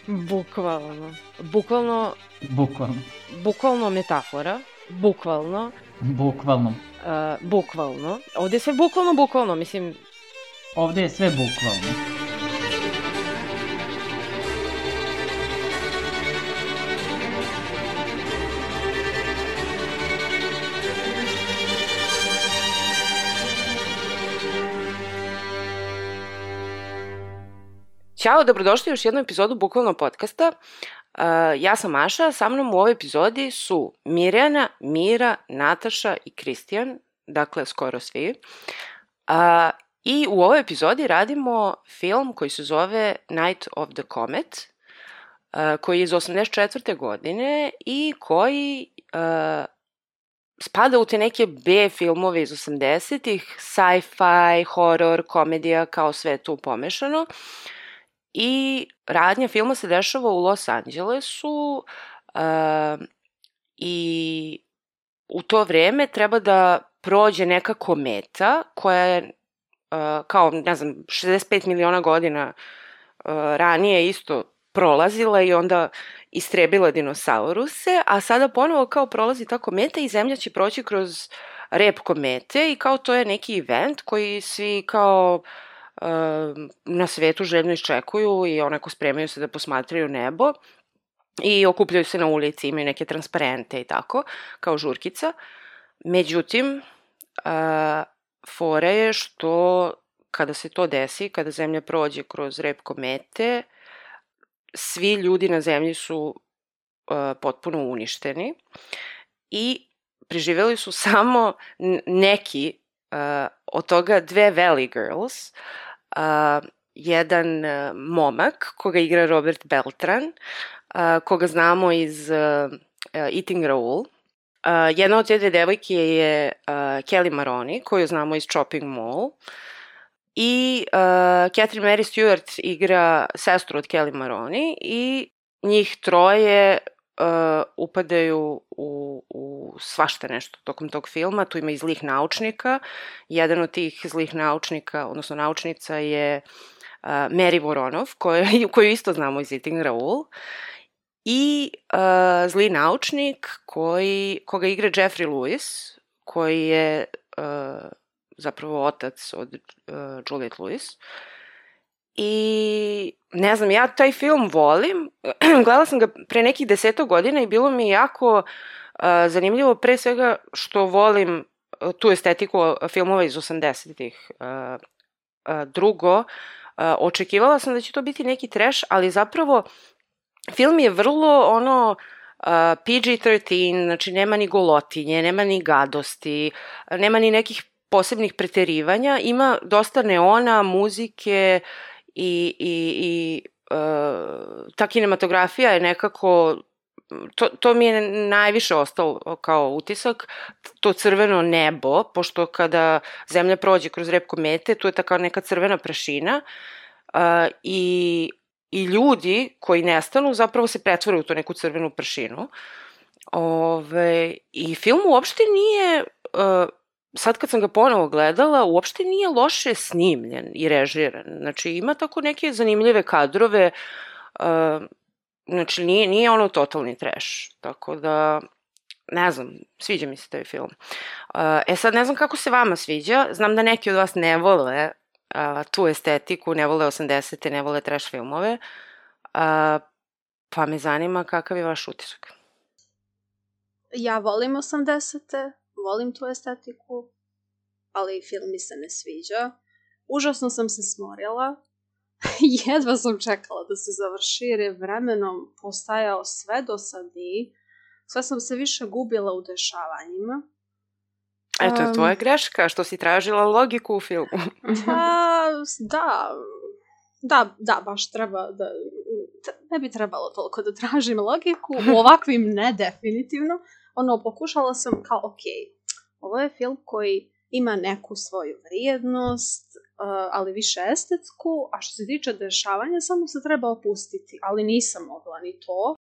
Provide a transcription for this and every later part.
Bukvalno. Bukvalno metafora. Bukvalno. Ovdje je sve bukvalno, mislim... Ovdje je sve bukvalno. Ćao, dobrodošli u još jednu epizodu Bukvalno podcasta. Ja sam Maša, sa mnom u ovoj epizodi su Mirjana, Mira, Nataša i Kristijan, dakle skoro svi. I u ovoj epizodi radimo film koji se zove Night of the Comet, koji je iz 1984. godine i koji spada u te neke B filmove iz 80-ih, sci-fi, horror, komedija, kao sve tu pomešano. I radnja filma se dešava u Los Angelesu i u to vreme treba da prođe neka kometa koja je kao, 65 miliona godina ranije isto prolazila i onda istrebila dinosauruse, a sada ponovo kao prolazi ta kometa i Zemlja će proći kroz rep komete i kao to je neki event koji svi kao na svetu željno iščekuju i onako spremaju se da posmatraju nebo i okupljaju se na ulici, imaju neke transparente i tako, kao žurkica. Međutim, fora je što kada se to desi, kada Zemlja prođe kroz rep komete, svi ljudi na Zemlji su potpuno uništeni i preživjeli su samo neki od toga dve Valley Girls, jedan momak koga igra Robert Beltran, koga znamo iz Eating Raoul. Jedna od te dve devojke je Kelly Maroney, koju znamo iz Chopping Mall. I Catherine Mary Stewart igra sestru od Kelly Maroney i njih troje upadaju u svašta nešto tokom tog filma. Tu ima i zlih naučnika. Jedan od tih zlih naučnika, odnosno naučnica je Mary Voronov, koju isto znamo iz Eating Raoul. I zli naučnik koga igra Jeffrey Lewis, koji je zapravo otac od Juliette Lewis. I ne znam, ja taj film volim. Gledala sam ga pre nekih 10 godina i bilo mi je jako zanimljivo, pre svega što volim tu estetiku filmova iz 80-ih. Drugo, očekivala sam da će to biti neki trash, ali zapravo film je vrlo PG-13, znači nema ni golotinje, nema ni gadosti, nema ni nekih posebnih preterivanja, ima dosta neona, muzike i ta kinematografija je nekako, to mi je najviše ostalo kao utisak, to crveno nebo, pošto kada Zemlja prođe kroz rep komete, tu je ta kao neka crvena prašina i ljudi koji nestanu zapravo se pretvore u to neku crvenu prašinu. I film uopšte nije, sad kad sam ga ponovo gledala, uopšte nije loše snimljen i režiran. Znači, ima tako neke zanimljive kadrove, znači nije ono totalni trash. Tako da, ne znam, sviđa mi se taj film. Sad ne znam kako se vama sviđa, znam da neki od vas ne vole tu estetiku, ne vole 80-te, ne vole trash filmove, pa me zanima kakav je vaš utisak. Ja volim 80-te, volim tu estetiku, ali film mi se ne sviđa. Užasno sam se smorila. Jedva sam čekala da se završi jer je vremenom postajao sve dosadniji. Sve sam se više gubila u dešavanjima. Eto je tvoja greška, što si tražila logiku u filmu. Da, baš treba da... Ne bi trebalo toliko da tražim logiku. U ovakvim ne, definitivno. Pokušala sam kao, ovo je film koji ima neku svoju vrijednost, ali više estetsku, a što se tiče dešavanja, samo se treba opustiti, ali nisam mogla ni to.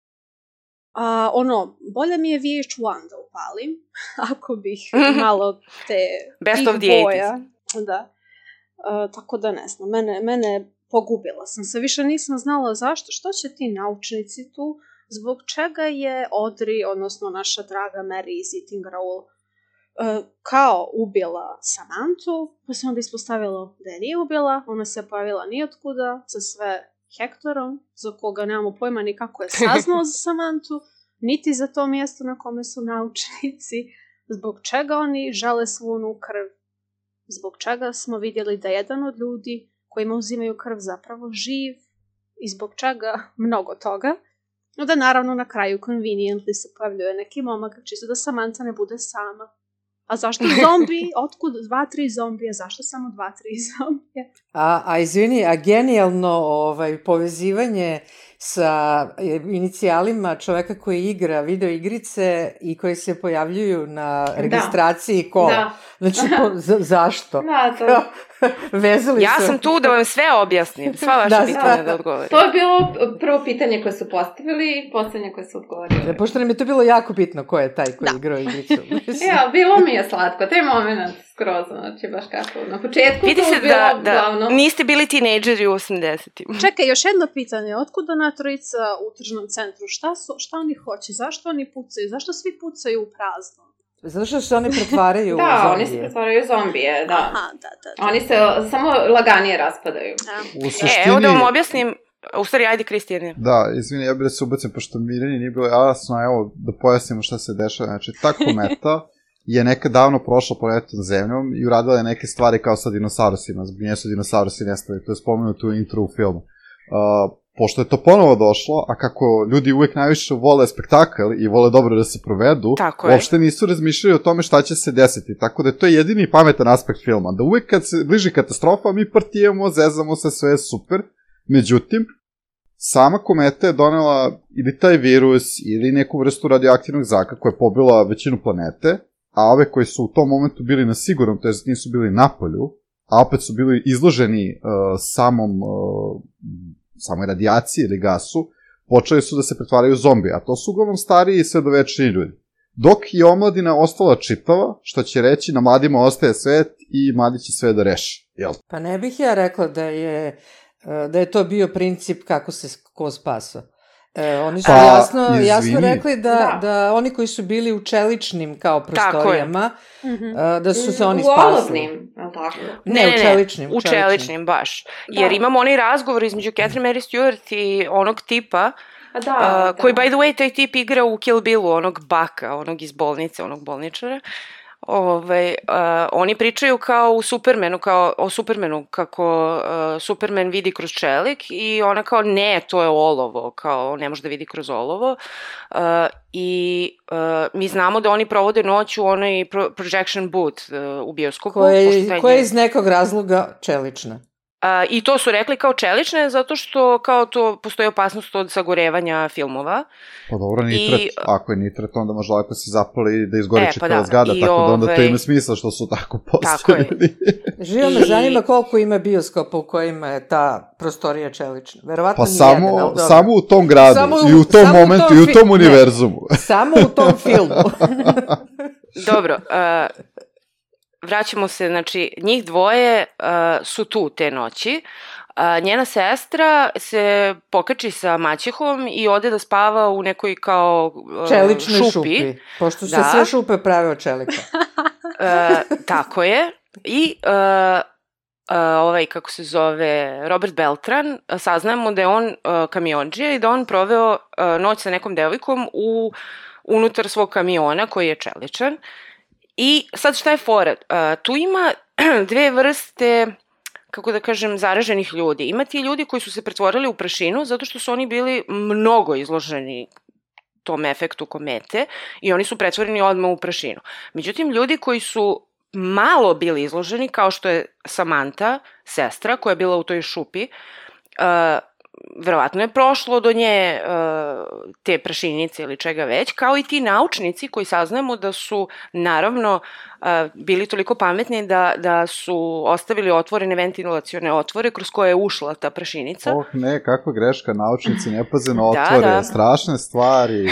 Bolje mi je VH1 da upalim, ako bih malo Best of the boja. Da. Tako da ne znam, mene pogubila sam se, više nisam znala zašto, što će ti naučnici tu, zbog čega je Audrey, odnosno naša draga Mary Ziting Rowell, kao ubila Samanthu, pa se onda ispostavilo da je nije ubila, ona se pojavila nijotkuda sa sve Hektorom, za koga nemamo pojma ni kako je saznao za Samanthu, niti za to mjesto na kome su naučnici, zbog čega oni žele svu onu krv, zbog čega smo vidjeli da jedan od ljudi kojima uzimaju krv zapravo živ i zbog čega mnogo toga. No da naravno na kraju conveniently se pojavljuje neki momak čisto da Samantha ne bude sama. A zašto zombi? Otkud 2-3 zombije? Zašto samo 2-3 zombije? A izvini, a genijalno povezivanje sa inicijalima čoveka koji igra video igrice i koji se pojavljuju na registraciji kola. Da. Znači, zašto? Da, to... Vezali ja sam tu da vam sve objasnim, sva vaša pitanja da odgovorim. To je bilo prvo pitanje koje su postavili i posljednje koje su odgovorili. Pošto nam je to bilo jako bitno ko je taj koji igrao igricu. Ja, bilo mi je slatko, taj moment skroz, znači baš kako na početku vidi to se bilo da glavno. Niste bili tinejdžeri u 80-im. Čekaj, još jedno pitanje, otkud ona trojica u tržnom centru? Šta oni hoće? Zašto oni pucaju? Zašto svi pucaju u prazno? Zato što se oni pretvaraju u zombije. Da, oni se pretvaraju u zombije, da. Aha, da. Oni se samo laganije raspadaju. U suštini... Evo da vam objasnim, u stvari, ajde Kristijane. Da, izvini, ja bih da se ubacim, pošto Mirjani nije bilo jasno, evo, da pojasnimo šta se dešava. Znači, ta kometa je nekad davno prošla planetom Zemljom i uradila je neke stvari kao sa dinosaurusima, zbog nje su dinosaurusi nestali, to je spomenuto u intro u filmu. Pošto je to ponovo došlo, a kako ljudi uvek najviše vole spektakl i vole dobro da se provedu, uopšte nisu razmišljali o tome šta će se desiti, tako da je to jedini pametan aspekt filma, da uvek kad se bliži katastrofa mi partijemo, zezamo se, sve je super, međutim, sama kometa je donela ili taj virus ili neku vrstu radioaktivnog zraka koja je pobila većinu planete, a ove koji su u tom momentu bili na sigurnom, to je nisu bili na polju, a opet su bili izloženi samoj radijaciji ili gasu, počeli su da se pretvaraju u zombije, a to su uglavnom stariji i sredovečni ljudi. Dok je omladina ostala čitava, što će reći na mladima ostaje svet i mladi će sve da reši. Jel? Pa ne bih ja rekla da je to bio princip kako se ko spasao. Oni su jasno rekli da oni koji su bili u čeličnim kao prostorijama, da su se oni spasili. U olovnim, tako? Ne, u čeličnim. U čeličnim, baš. Jer imamo onaj razgovor između Catherine Mary Stewart i onog tipa, koji, by the way, taj tip igra u Kill Billu, onog baka, onog iz bolnice, onog bolničara. Oni pričaju kao o Supermanu, kako Superman vidi kroz čelik i ona kao ne, to je olovo, kao ne može da vidi kroz olovo i mi znamo da oni provode noć u onoj projection booth u bioskopu. Koja je iz nekog razloga čelična. I to su rekli kao čelične, zato što kao to postoji opasnost od sagorevanja filmova. Pa dobro, nitret. Ako je nitret, onda može lako se zapali da izgori čitava zgrada, tako da onda to ima smisla što su tako postavili. Živo me zanima koliko ima bioskopa u kojima je ta prostorija čelična. Verovatno pa samo u tom gradu, i u tom momentu, i u tom univerzumu. Samo u tom filmu. Dobro, vraćamo se, znači, njih dvoje su tu te noći. Njena sestra se pokači sa maćehom i ode da spava u nekoj kao čeličnoj šupi. Pošto se sve šupe prave od čelika. Tako je. I kako se zove, Robert Beltran, saznajemo da je on kamiondžija i da on proveo noć sa nekom devojkom unutar svog kamiona koji je čeličan. I sad šta je fora? Tu ima dve vrste, kako da kažem, zaraženih ljudi. Ima ti ljudi koji su se pretvorili u prašinu zato što su oni bili mnogo izloženi tom efektu komete i oni su pretvoreni odmah u prašinu. Međutim, ljudi koji su malo bili izloženi, kao što je Samantha, sestra koja je bila u toj šupi, verovatno je prošlo do nje te prašinice ili čega već, kao i ti naučnici koji saznajemo da su naravno bili toliko pametni da su ostavili otvorene ventilacione otvore kroz koje je ušla ta prašinica. Ne, kakva greška, naučnici ne paze na otvore, strašne stvari.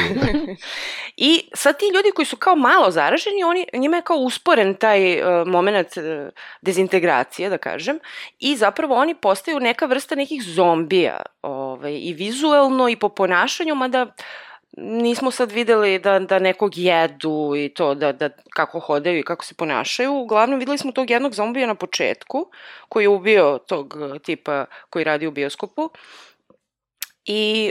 I sad ti ljudi koji su kao malo zaraženi, njima je kao usporen taj moment dezintegracije, da kažem, i zapravo oni postaju neka vrsta nekih zombija, i vizuelno i po ponašanju, mada nismo sad videli da nekog jedu i to, da kako hodaju i kako se ponašaju. Uglavnom, videli smo tog jednog zombija na početku, koji je ubio tog tipa koji radi u bioskopu. I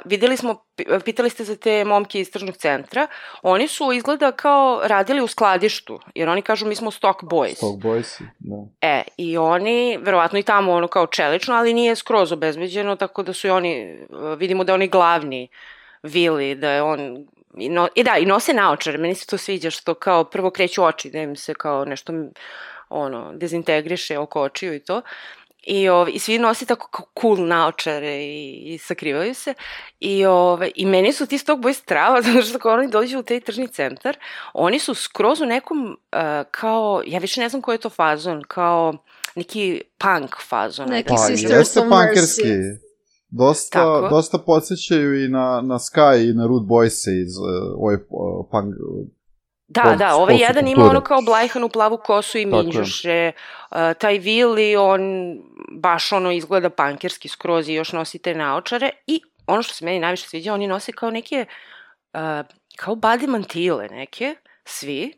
videli smo, pitali ste za te momke iz tržnog centra, oni su izgleda kao radili u skladištu, jer oni kažu mi smo stock boys. Stock boys, da. I oni, verovatno i tamo kao čelično, ali nije skroz obezbeđeno, tako da su i oni, vidimo da oni glavni Vili, da je on, i nose naočare, meni se to sviđa što kao prvo kreću oči, da im se kao nešto dezintegriše oko očiju i to. I svi nosi tako kao cool naočare i sakrivaju se. I meni su ti stock boys strava, zato što kao oni dođu u taj tržni centar, oni su skroz u nekom kao, ja više ne znam koji je to fazon, kao neki punk fazon. Neki Sisters of Mercy. Dosta podsjećaju i na Sky i na Rude Boyse iz ove punk... Da, ovaj jedan ima ono kao blajhanu plavu kosu i minđuše, taj Willy, on baš izgleda punkerski skroz i još nosi te naočare i ono što se meni najviše sviđa, oni nose kao neke, kao body mantile neke, svi,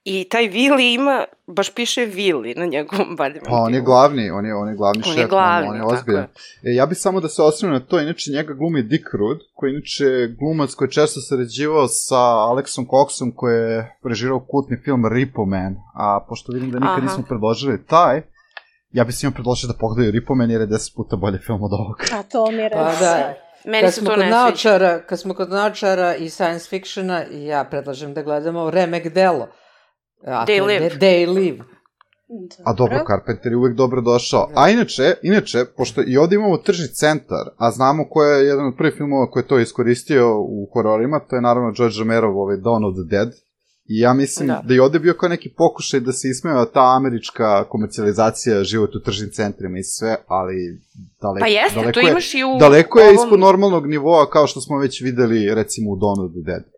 i taj Willy ima, baš piše Willy na njegovom body mantilu. Pa on je glavni, on je glavni šef, on je ozbiljan. Ja bih samo da se osvrnem na to, inače njega glumi Dick Rude, koji je inače glumac koji je često sarađivao sa Alexom Coxom, koji je režirao kultni film Repo Man, a pošto vidim da nikad nismo predložili taj, ja bih svima predložio da pogledaju Repo Man jer je 10 puta bolji film od ovoga. A to mi je Meni se to ne sviđa. Kad smo kod naočara i science fictiona, ja predlažem da gledamo Remek Delo. They Live. A dobro, Carpenter je uvek dobro došao. A inače, pošto i ovde imamo tržni centar, a znamo ko je jedan od prvih filmova koji je to iskoristio u hororima, to je naravno George Romerov Dawn of the Dead. I ja mislim da je ovde bio kao neki pokušaj da se ismeva ta američka komercijalizacija života u tržnim centrima i sve, ali daleko je ispod normalnog nivoa kao što smo već videli recimo u Dawn of the Dead.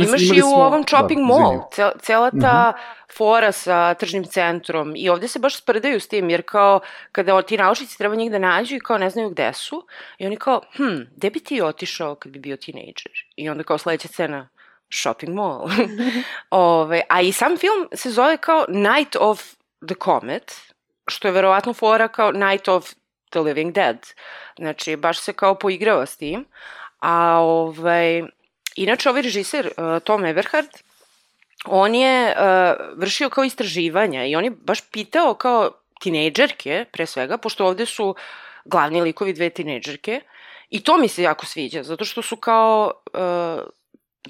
Imaš i u ovom shopping mall, cela ta fora sa tržnim centrom i ovde se baš sprdaju s tim, jer kao kada ti naučnici treba njih da nađu i kao ne znaju gde su i oni kao, gde bi ti otišao kad bi bio tinejdžer? I onda kao sledeća scena, shopping mall. A i sam film se zove kao Night of the Comet, što je verovatno fora kao Night of the Living Dead. Znači, baš se kao poigrava s tim. A inače, ovaj režiser, Tom Eberhard, on je vršio kao istraživanja i on je baš pitao kao tinejdžerke, pre svega, pošto ovde su glavni likovi dve tinejdžerke, i to mi se jako sviđa, zato što su kao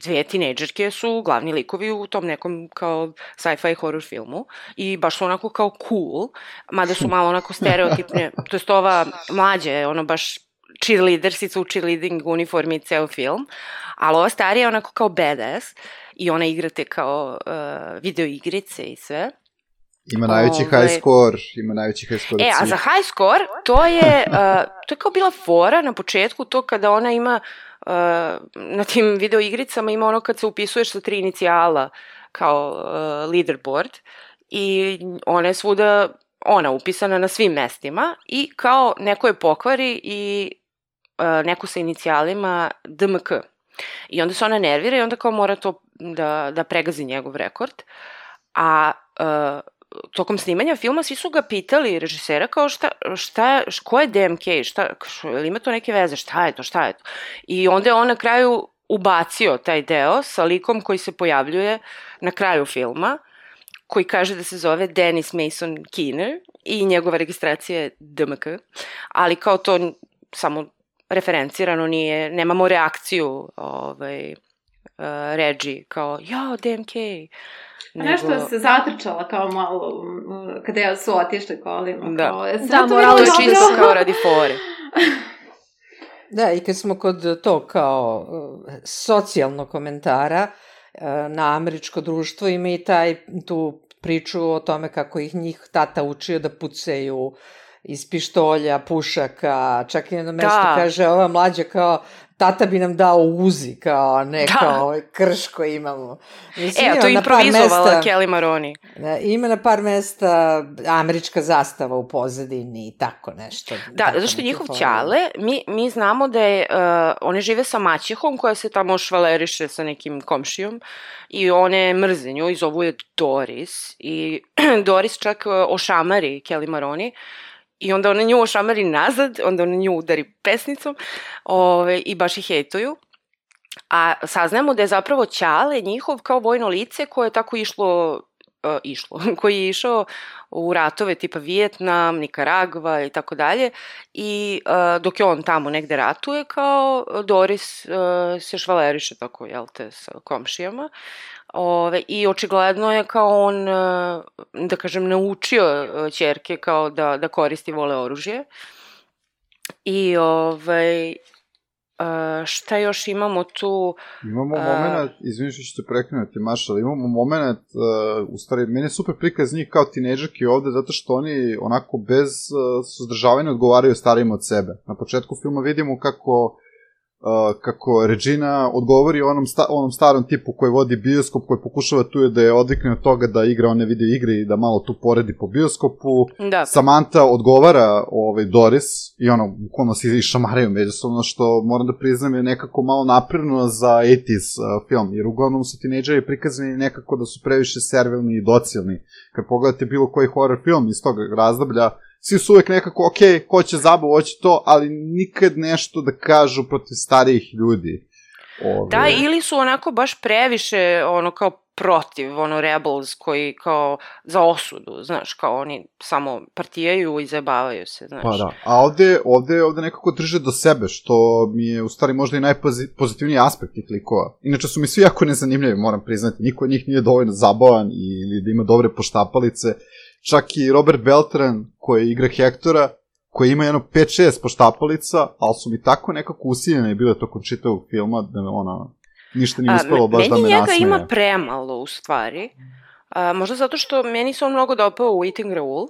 dve tinejdžerke su glavni likovi u tom nekom kao sci-fi horror filmu i baš su onako kao cool, mada su malo onako stereotipne, to jest ova mlađa je ono baš cheerleadersica u cheerleading uniformi ceo film, ali ova starija je onako kao badass i ona igra te kao video igrice i sve. Ima najveći high score, a za high score to je kao bila fora na početku, to kada ona ima na tim video igricama ima ono kad se upisuješ sa 3 inicijala kao leaderboard i ona je svuda upisana na svim mestima i kao neko je pokvari i neko sa inicijalima DMK. I onda se ona nervira i onda kao mora to da pregazi njegov rekord. A tokom snimanja filma svi su ga pitali režisera kao ko je DMK, ima to neke veze, šta je to? I onda je on na kraju ubacio taj deo sa likom koji se pojavljuje na kraju filma, koji kaže da se zove Dennis Mason Keener i njegova registracija je DMK, ali kao to samo referencirano nije, nemamo reakciju Reggie kao, DMK. Nešto se zatrčala kao malo, kada su otišli kolima. Da, moralo je čisto kao radi fore. Da, i kad smo kod to kao socijalnog komentara na američko društvo, ima i tu priču o tome kako njih tata učio da pucaju iz pištolja, pušaka, čak i na mesto kaže ova mlađa kao tata bi nam dao Uzi, kao ne kao krš koji imamo. Mislim, a to je improvizovala Kelly Maroney. Ima na par mesta američka zastava u pozadini i tako nešto. Da, zašto njihov ćale, mi znamo da je, one žive sa maćehom koja se tamo švaleriše sa nekim komšijom i one mrze nju i zovu je Doris i Doris čak ošamari Kelly Maroney. I onda ona nju ošamari nazad, onda ona nju udari pesnicom i baš ih hejtuju. A saznamo da je zapravo ćale njihov kao vojno lice koje je tako koji je išao u ratove tipa Vijetnam, Nikaragva i tako dalje. I dok je on tamo negde ratuje, kao Doris se švaleriše tako, jel te, sa komšijama. I očigledno je kao on, da kažem, naučio ćerke kao da koristi vole oružje. I šta još imamo tu? Imamo moment, izvini što ću te prekinuti, Maša, ali imamo moment, u stvari, meni je super prikaz njih kao tinejdžerki ovde, zato što oni onako bez suzdržavanja odgovaraju starijima od sebe. Na početku filma vidimo kako Regina odgovori onom starom tipu koji vodi bioskop, koji pokušava tu da je odvikne od toga da igra one video igre i da malo tu poredi po bioskopu. Da. Samantha odgovara Doris i bukvalno se išamaraju međusobno, što moram da priznam je nekako malo napredno za 80s film, jer uglavnom su tinejdžeri prikazani nekako da su previše servilni i docilni. Kad pogledate bilo koji horror film iz tog razdoblja, svi su uvek nekako, hoće zabavu, hoće to, ali nikad nešto da kažu protiv starijih ljudi. Da, ili su onako baš previše, kao protiv, rebels koji kao za osudu, znaš, kao oni samo partijaju i zabavaju se, znaš. Pa da, a ovde nekako drže do sebe, što mi je u stvari možda i najpozitivniji aspekt tih likova. Inače su mi svi jako nezanimljivi, moram priznati, niko od njih nije dovoljno zabavan ili da ima dobre poštapalice. Čak i Robert Beltran, koji igra Hektora, koji ima 5-6 poštapalica, ali su mi tako nekako usiljene bile tokom čitavog filma, da ništa nije uspelo baš da me nasmeje. Meni njega ima premalo, u stvari. Možda zato što meni se on mnogo dopao u Eating Raoul.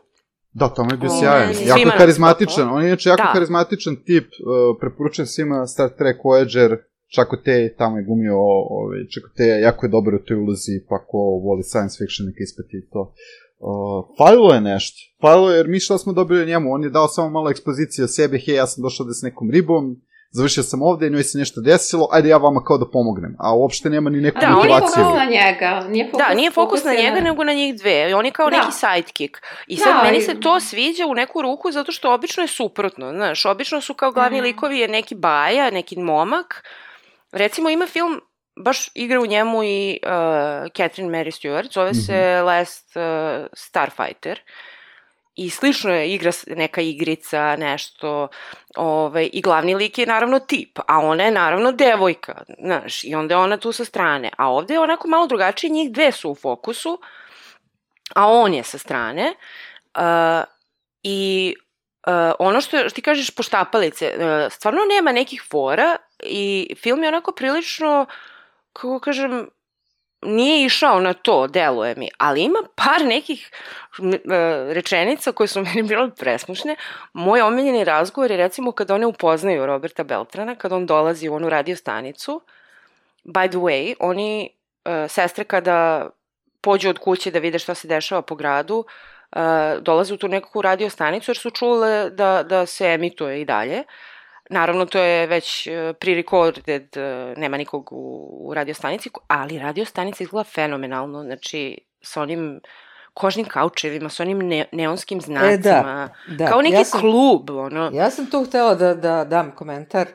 Da, to mi je bio sjajan. Jako karizmatičan. On je inače jako karizmatičan tip. Preporučujem svima Star Trek Voyager. Chakotay, tamo je gumio Chakotay, jako je dobar u toj ulozi, pa ko voli science fiction neka ispati to. Falilo je nešto. Falilo je, jer mi šta smo dobili o njemu, on je dao samo malo ekspozicije o sebi, ja sam došao da s nekom ribom, završio sam ovde, njoj se nešto desilo, ajde ja vama kao da pomognem, a uopšte nema ni neku motivaciju. Da, on je fokus na njega. Nije fokus na njega, nego na njih dve. On je kao neki sidekick. I sad meni se to sviđa u neku ruku, zato što obično je suprotno, znaš, obično su kao glavni likovi je neki baja, neki momak. Recimo ima film, baš igra u njemu i Catherine Mary Stewart, zove se Last Starfighter. I slično je igra neka igrica, nešto, i glavni lik je naravno tip, a ona je naravno devojka, znaš, i onda je ona tu sa strane. A ovde je onako malo drugačije, njih dve su u fokusu, a on je sa strane. Ono što ti kažeš poštapalice, stvarno nema nekih fora i film je onako prilično, kako kažem, nije išao na to, deluje mi, ali ima par nekih rečenica koje su meni bile presmušne. Moj omiljeni razgovor je recimo kada one upoznaju Roberta Beltrana, kada on dolazi u onu radio stanicu. By the way, oni, sestre kada pođu od kuće da vide šta se dešava po gradu, dolaze u tu nekakvu radio stanicu jer su čule da se emituje i dalje. Naravno, to je već pre-recorded, nema nikog u radiostanici, ali radiostanica izgleda fenomenalno, znači sa onim kožnim kaučevima, sa onim neonskim znacima, kao neki klub. Ja sam tu htela da dam komentar,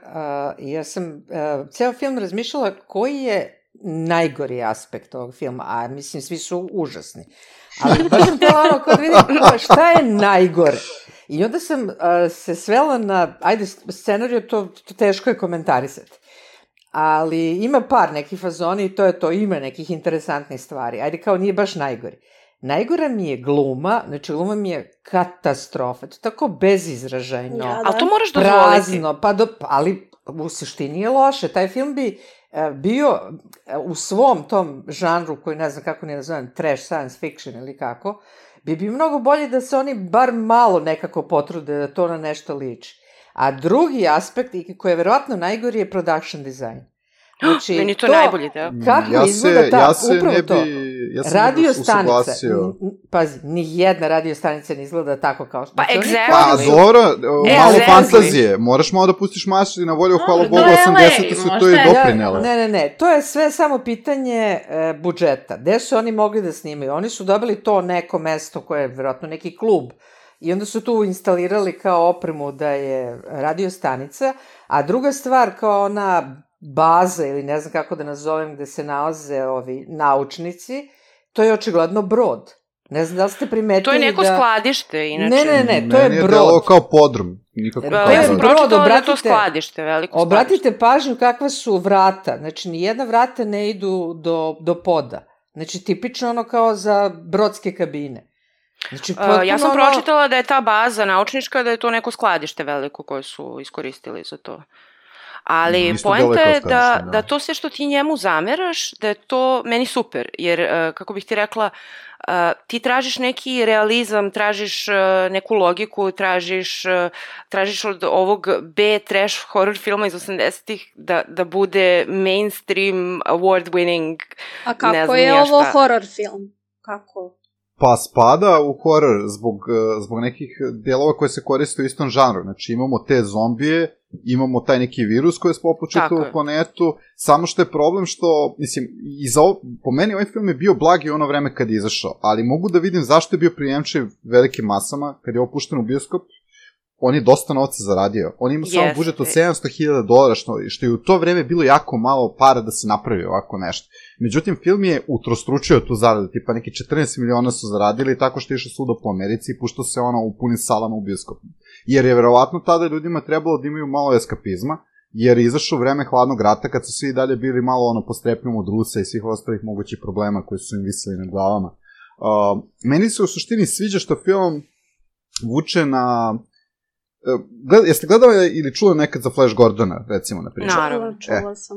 jer sam ceo film razmišljala koji je najgori aspekt ovog filma, a mislim svi su užasni. Ali baš sam htela kad vidim šta je najgore. I onda sam se svela na, scenariju, to teško je komentarisati. Ali ima par nekih fazoni i to je to, ima nekih interesantnih stvari. Kao nije baš najgori. Najgora mi je gluma, znači gluma mi je katastrofa. To je tako bezizražajno. Ja, ali to moraš dozvoliti. Prazno, ali u suštini je loše. Taj film bi bio u svom tom žanru koji ne znam kako ne nazovem, trash science fiction ili kako, bi mnogo bolje da se oni bar malo nekako potrude da to na nešto liči. A drugi aspekt, i koji je verovatno najgori, je production design. Znači, meni to najbolji deo. Kako izgleda upravo to? Radio stanica, pazi, nijedna radio stanica ne izgleda tako kao što... Pa, exactly. Pa, dobro, malo fantazije. Moraš malo da pustiš mašti na volju, hvala Bogu, 80 su to i doprinele. Ne, to je sve samo pitanje budžeta. Gde su oni mogli da snimaju? Oni su dobili to neko mesto koje je verovatno neki klub i onda su tu instalirali kao opremu da je radio stanica, a druga stvar kao ona baza ili ne znam kako da nazovem gde se nalaze ovi naučnici, to je očigledno brod. Ne znam da li ste primetili da... To je neko skladište, inače. Ne, to je brod. Meni je delo kao podrum. Ja sam pročitala da je to skladište, veliko skladište. Obratite pažnju kakva su vrata. Znači, nijedna vrata ne idu do poda. Znači, tipično ono kao za brodske kabine. Znači, ja sam pročitala da je ta baza naučnička, da je to neko skladište veliko koje su iskoristili za to. Ali poenta je da to sve što ti njemu zameraš, da je to meni super, jer, kako bih ti rekla, ti tražiš neki realizam, tražiš neku logiku, tražiš od ovog B-trash horror filma iz 80-ih da bude mainstream, award-winning, a kako je ovo horror film? Kako? Pa spada u horror zbog nekih delova koje se koriste u istom žanru. Znači imamo te zombije, imamo taj neki virus koji je spopao čitavu planetu, samo što je problem što, mislim, po meni ovaj film je bio blagi ono vreme kad je izašao, ali mogu da vidim zašto je bio prijemčiv velikim masama, kad je opušten u bioskop, on je dosta novca zaradio. On ima samo budžet od $700,000, što je u to vreme bilo jako malo para da se napravi ovako nešto. Međutim, film je utrostručio tu zaradu, tipa neki 14 miliona su zaradili tako što je išao svuda po Americi i puštao se ono u punim salama u bioskopu. Jer je verovatno tada ljudima trebalo da imaju malo eskapizma, jer je izašao vreme hladnog rata kad su svi dalje bili malo ono postrepnjom od Rusa i svih ostalih mogućih problema koji su im visili na glavama. Meni se u suštini sviđa što film vuče na... Jeste gledali ili čuli nekad za Flash Gordona, recimo, na primjer? Naravno, čula sam.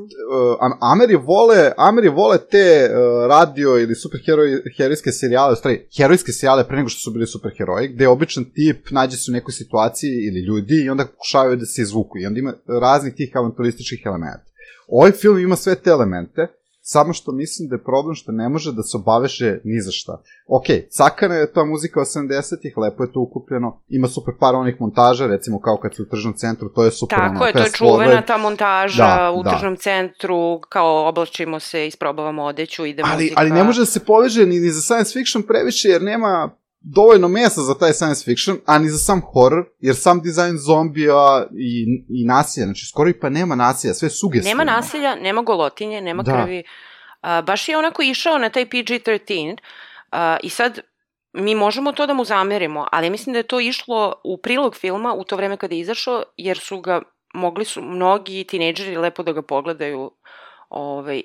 Ameri vole te radio ili superherojske serijale, u stvari, herojske serijale pre nego što su bili superheroji, gde običan tip nađe se u nekoj situaciji ili ljudi i onda pokušavaju da se izvuku i onda ima raznih tih avanturističkih elementa. Ovaj film ima sve te elemente, samo što mislim da je problem što ne može da se obaveše ni za šta. Ok, cakana je ta muzika 80-ih, lepo je to ukupljeno, ima super par onih montaža, recimo kao kad su u tržnom centru, to je super. Tako je, to je čuvena ta montaža u tržnom centru, kao oblačimo se, isprobavamo odeću, ide muzika. Ali ne može da se poveže ni za science fiction previše, jer nema dovoljno mjesta za taj science fiction, a ni za sam horror, jer sam dizajn zombija i nasilja, znači skoro i pa nema nasilja, sve sugestivno. Nema nasilja, nema golotinje, nema krvi. Baš je onako išao na taj PG-13 i sad mi možemo to da mu zamerimo, ali mislim da je to išlo u prilog filma u to vreme kada je izašao, jer mogli su mnogi tinejdžeri lepo da ga pogledaju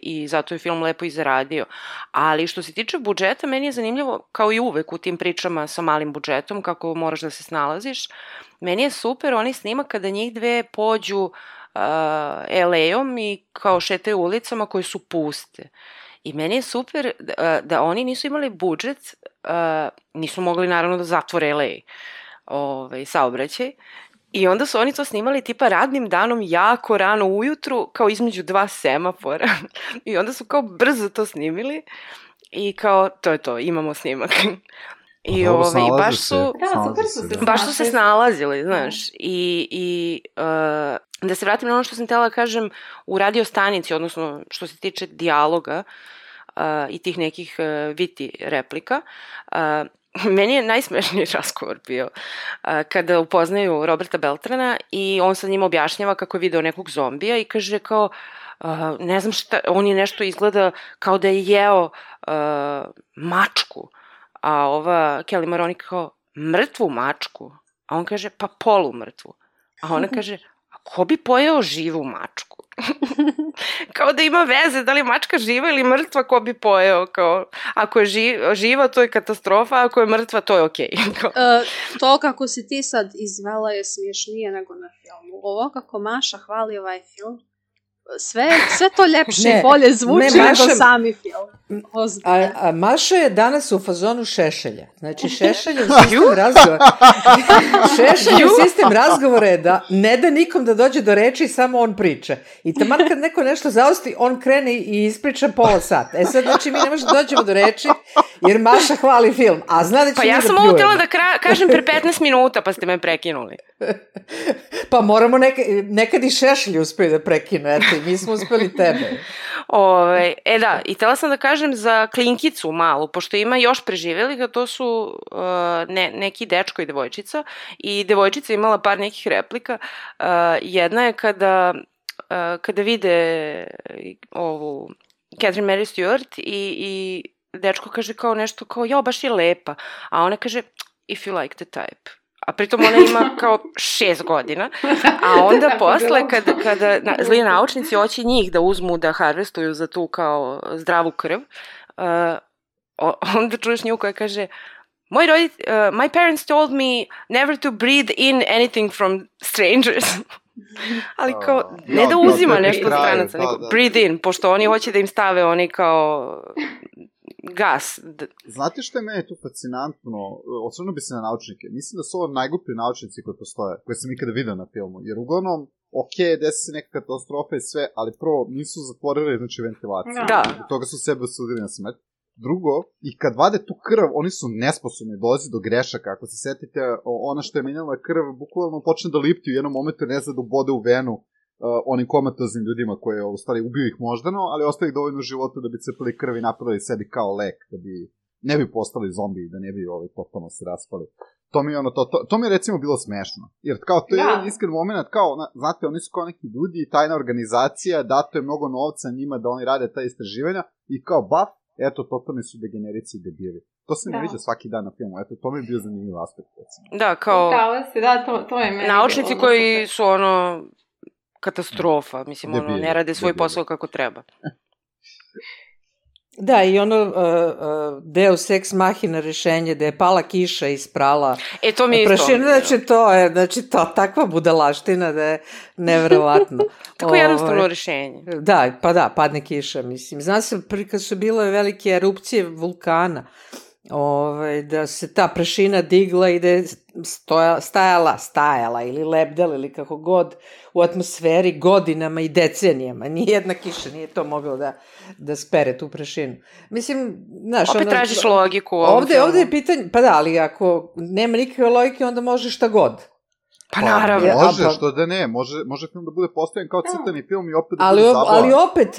i zato je film lepo i zaradio. Ali što se tiče budžeta, meni je zanimljivo, kao i uvek u tim pričama sa malim budžetom, kako moraš da se snalaziš, meni je super onaj snimak kada njih dve pođu LA-om i kao šetaju ulicama koje su puste. I meni je super da oni nisu imali budžet, nisu mogli naravno da zatvore LA saobraćaj, i onda su oni to snimali tipa radnim danom jako rano ujutru, kao između dva semafora. I onda su kao brzo to snimili i kao to je to, imamo snimak. I baš su se snalazili, znaš. I da se vratim na ono što sam htjela kažem u radio stanici, odnosno što se tiče dijaloga i tih nekih viti replika, meni je najsmešniji razgovor bio kada upoznaju Roberta Beltrana i on sa njim objašnjava kako je video nekog zombija i kaže kao, ne znam šta, on je nešto izgleda kao da je jeo mačku, a ova Kelly Maroney kao, mrtvu mačku? A on kaže, pa polumrtvu. A ona kaže, a ko bi pojeo živu mačku? Kao da ima veze, da li je mačka živa ili mrtva, ko bi pojeo, kao, ako je živa, to je katastrofa, a ako je mrtva, to je okej. To kako si ti sad izvela je smiješnije nego na filmu. Ovo kako Maša hvali ovaj film, sve to ljepše i bolje zvuči nego sami film. A Maša je danas u fazonu Šešelja. Znači, Šešelj je sistem razgovora. Šešelj je sistem razgovora je da ne da nikom da dođe do reči, samo on priča. I taman kad neko nešto zaosti, on krene i ispriča pola sata. Sad, znači, mi ne možemo da dođemo do reči, jer Maša hvali film. A zna da će pa ja sam ovo htjela da kažem pre 15 minuta, pa ste me prekinuli. Pa moramo nekad i Šešelj uspiju da prekinu. Eto, mi smo uspeli tebe. Da, i htjela sam da kažem za Klinkicu malu, pošto ima još preživjelih, a to su neki dečko i devojčica, i devojčica imala par nekih replika. Jedna je kada vide ovu Catherine Mary Stewart i dečko kaže kao nešto kao, jao, baš je lepa, a ona kaže, if you like the type. A pritom ona ima kao 6 godina, a onda posle kada zli naučnici hoće njih da uzmu da harvestuju za tu kao zdravu krv, onda čuješ nju koja kaže, my parents told me never to breathe in anything from strangers. Ali kao, ne da uzima nešto od stranaca, nego breathe in, pošto oni hoće da im stave oni kao gas. Znate što je meni tu fascinantno? Osvrnuo bi se na naučnike. Mislim da su ovo najgluplji naučnici koji postoje, koje sam ikada vidio na filmu. Jer uglavnom, desi se neka katastrofa i sve, ali prvo nisu zatvorili, znači, ventilaciju. Da. Od toga su sebe osudili na smrt. Drugo, i kad vade tu krv, oni su nesposobni, dolazi do grešaka. Ako se setite, ona što je menjala krv, bukvalno počne da lipti u jednom momentu, ne zna da ubode u venu onim komatoznim ljudima koji u stvari ubiju ih moždano, ali ostaju dovoljno života da bi cepili krv i napravili sebi kao lek, da bi ne bi postali zombi, da ne bi totalno se raspali. To mi je recimo bilo smešno. Jer kao to je jedan iskren moment, kao, znate, oni su kao neki ljudi, tajna organizacija, dato je mnogo novca njima da oni rade ta istraživanja i kao baf, eto, totalni su degenerici i debili. To se ne viđa svaki dan na filmu, eto, to mi je bio zanimljiv aspekt, recimo. Da, kao to je meni naučnici koji su katastrofa, mislim, ne rade svoj posao kako treba. Da, i Deus ex machina rešenje, da je pala kiša i sprala to mi je isto. Znači, to takva budalaština da je neverovatno. Tako jednostavno rešenje. Da, pa da, padne kiša, mislim. Znam se, kad su bile velike erupcije vulkana, da se ta prašina digla i da je stajala ili lebdela ili kako god u atmosferi godinama i decenijama. Nijedna kiša nije to mogla da spere tu prašinu. Mislim, znaš... Opet tražiš logiku. Ovde je pitanje... Pa da, ali ako nema nikakve logike, onda može šta god. Pa naravno. Može, što da ne. Može film da bude postavljen kao crtani film i opet da bude zabavan.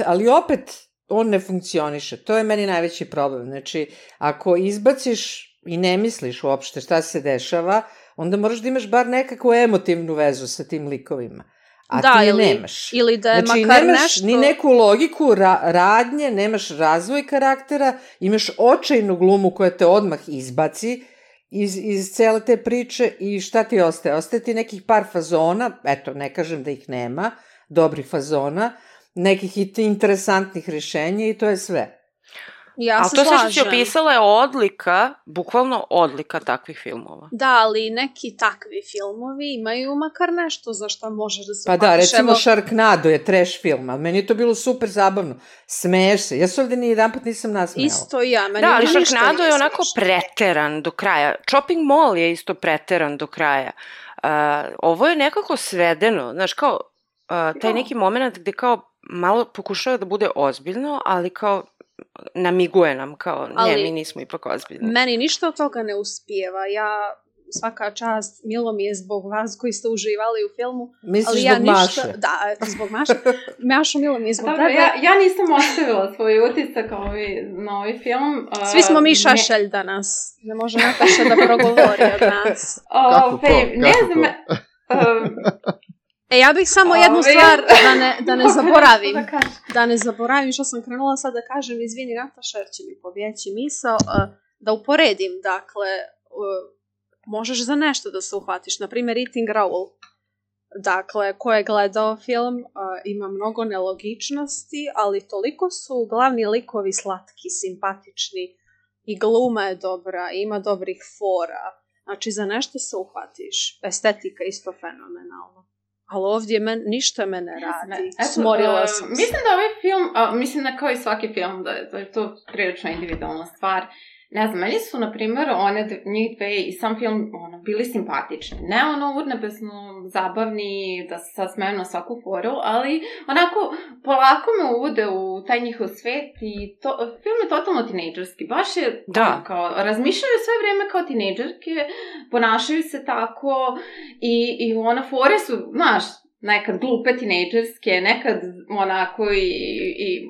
Ali opet on ne funkcioniše. To je meni najveći problem. Znači, ako izbaciš i ne misliš uopšte šta se dešava, onda moraš da imaš bar nekakvu emotivnu vezu sa tim likovima. A ti je nemaš. Ili da je znači, makar nemaš nešto... ni neku logiku radnje, nemaš razvoj karaktera, imaš očajnu glumu koja te odmah izbaci iz cele te priče i šta ti ostaje? Ostaje ti nekih par fazona, eto, ne kažem da ih nema, dobrih fazona, nekih interesantnih rješenja i to je sve. Ja se slažem. Ali to sve što si opisala je odlika, bukvalno odlika takvih filmova. Da, ali neki takvi filmovi imaju makar nešto za što možeš da se pa da, recimo Sharknado je trash film, ali meni je to bilo super zabavno. Smeješ se. Ja se ovdje nijedanput nisam nasmejala. Isto ja. Meni da, ali Sharknado je onako preteran do kraja. Chopping Mall je isto preteran do kraja. Ovo je nekako svedeno. Znaš, kao taj neki moment gde kao malo pokušava da bude ozbiljno, ali kao namiguje nam kao, mi nismo ipak ozbiljni. Meni ništa od toga ne uspijeva. Ja, svaka čast, milo mi je zbog vas koji ste uživali u filmu. Misliš zbog Maše? Da, zbog Maše. Mašo, milo mi je zbog tebe. Ja nisam ostavila svoj utisak na ovaj film. Svi smo mi šašelj danas. Ne može Nataša da progovori od nas. Ne znam... Ja bih samo jednu stvar da ne zaboravim. Da ne zaboravim što sam krenula sad da kažem, izvini Nataša, jer će mi pobjeći misao, da uporedim, dakle, možeš za nešto da se uhvatiš. Naprimjer, Eating Raoul. Dakle, ko je gledao film, ima mnogo nelogičnosti, ali toliko su glavni likovi slatki, simpatični i gluma je dobra, ima dobrih fora. Znači, za nešto se uhvatiš. Estetika isto fenomenalna. ali ovdje ništa me ne radi. Smorila sam se. Mislim da ovaj film, mislim da kao i svaki film, da je to prilično individualna stvar. Ne znam, meni su, na primjer, njih dve i sam film bili simpatični. Ne urnebesno zabavni, da se sad smeju na svaku foru, ali onako polako me uvode u taj njihov svet i film je totalno tinejdžerski. Baš je kao, razmišljaju sve vrijeme kao tinejdžerke, ponašaju se tako i fore su, znaš, nekad glupe tinejdžerske, nekad onako i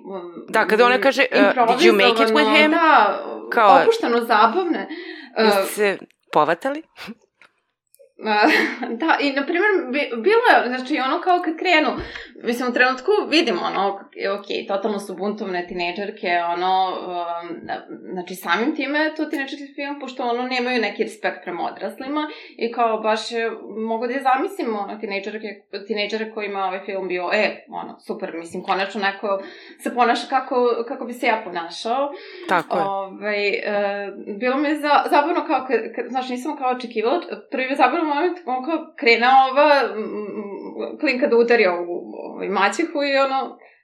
da, kada ona kaže, did you make it with him? Da, kao, opušteno zabavne. Jeste se povatali? Da, i na primjer, bilo je, znači ono kao kad krenu, mislim u trenutku vidimo totalno su buntovne tinejdžerke, znači samim time je to tinejdžerski film, pošto nemaju neki respekt prema odraslima i kao baš mogu da je zamislim tinejdžere kojima ovaj film bio, super, mislim, konačno neko se ponaša kako bi se ja ponašao. Tako je. Bilo mi je zabavno kao, znači nisam kao očekivala, prvi zabavno moment, kao krene ova klinka da udari ovu maćehu i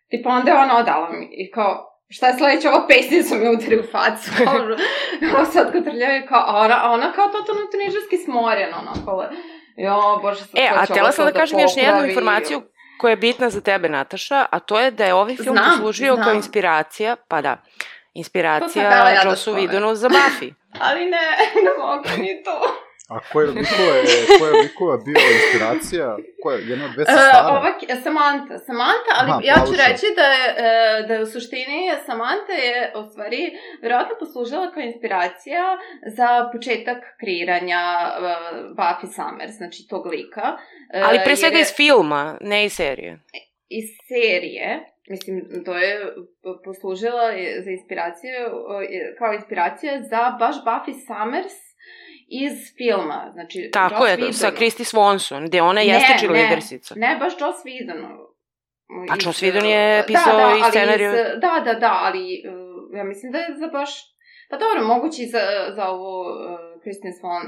tipa onda je ona odala mi i kao, šta je sledeće, ova pesnica mi udari u facu, kao sad kad trljaju, a ona kao totalno tinejdžerski smorena, bože, sad a htjela sam da kažem još jednu informaciju koja je bitna za tebe, Nataša, a to je da je ovaj film poslužio kao inspiracija, inspiracija Jossu Whedonu za Buffy. Ali ne mogu ni to. A koja likova bio inspiracija? Jedna od dve sestara? Samantha, ali ja ću reći da je u suštini Samantha je u stvari vjerojatno poslužila kao inspiracija za početak kreiranja Buffy Summers, znači tog lika. Ali pre svega iz filma, ne iz serije. Iz serije. Mislim, to je poslužila za inspiraciju, kao inspiracija za baš Buffy Summers iz filma, znači tako je, sa Kristi Swanson, gde ona jeste cheerleadersica. Ne, baš Joss Whedon. A Joss Whedon je pisao i scenariju. Da, ali ja mislim da je za baš, pa dobro, moguće i za ovu Kristen Swan,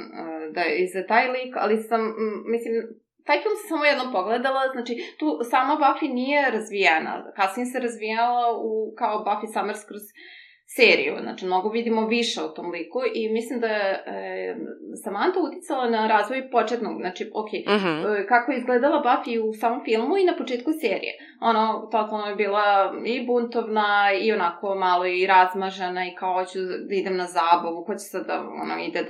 da je i za taj lik, ali mislim, taj film sam samo jednom pogledala, znači tu sama Buffy nije razvijena, kasnije se razvijala kao Buffy Summers kroz seriju, znači mnogo vidimo više o tom liku i mislim da je Samantha uticala na razvoj početnog, znači kako je izgledala Buffy u samom filmu i na početku serije. Totalno je bila i buntovna i onako malo i razmažena i kao hoću da idem na zabavu, hoće sad da ide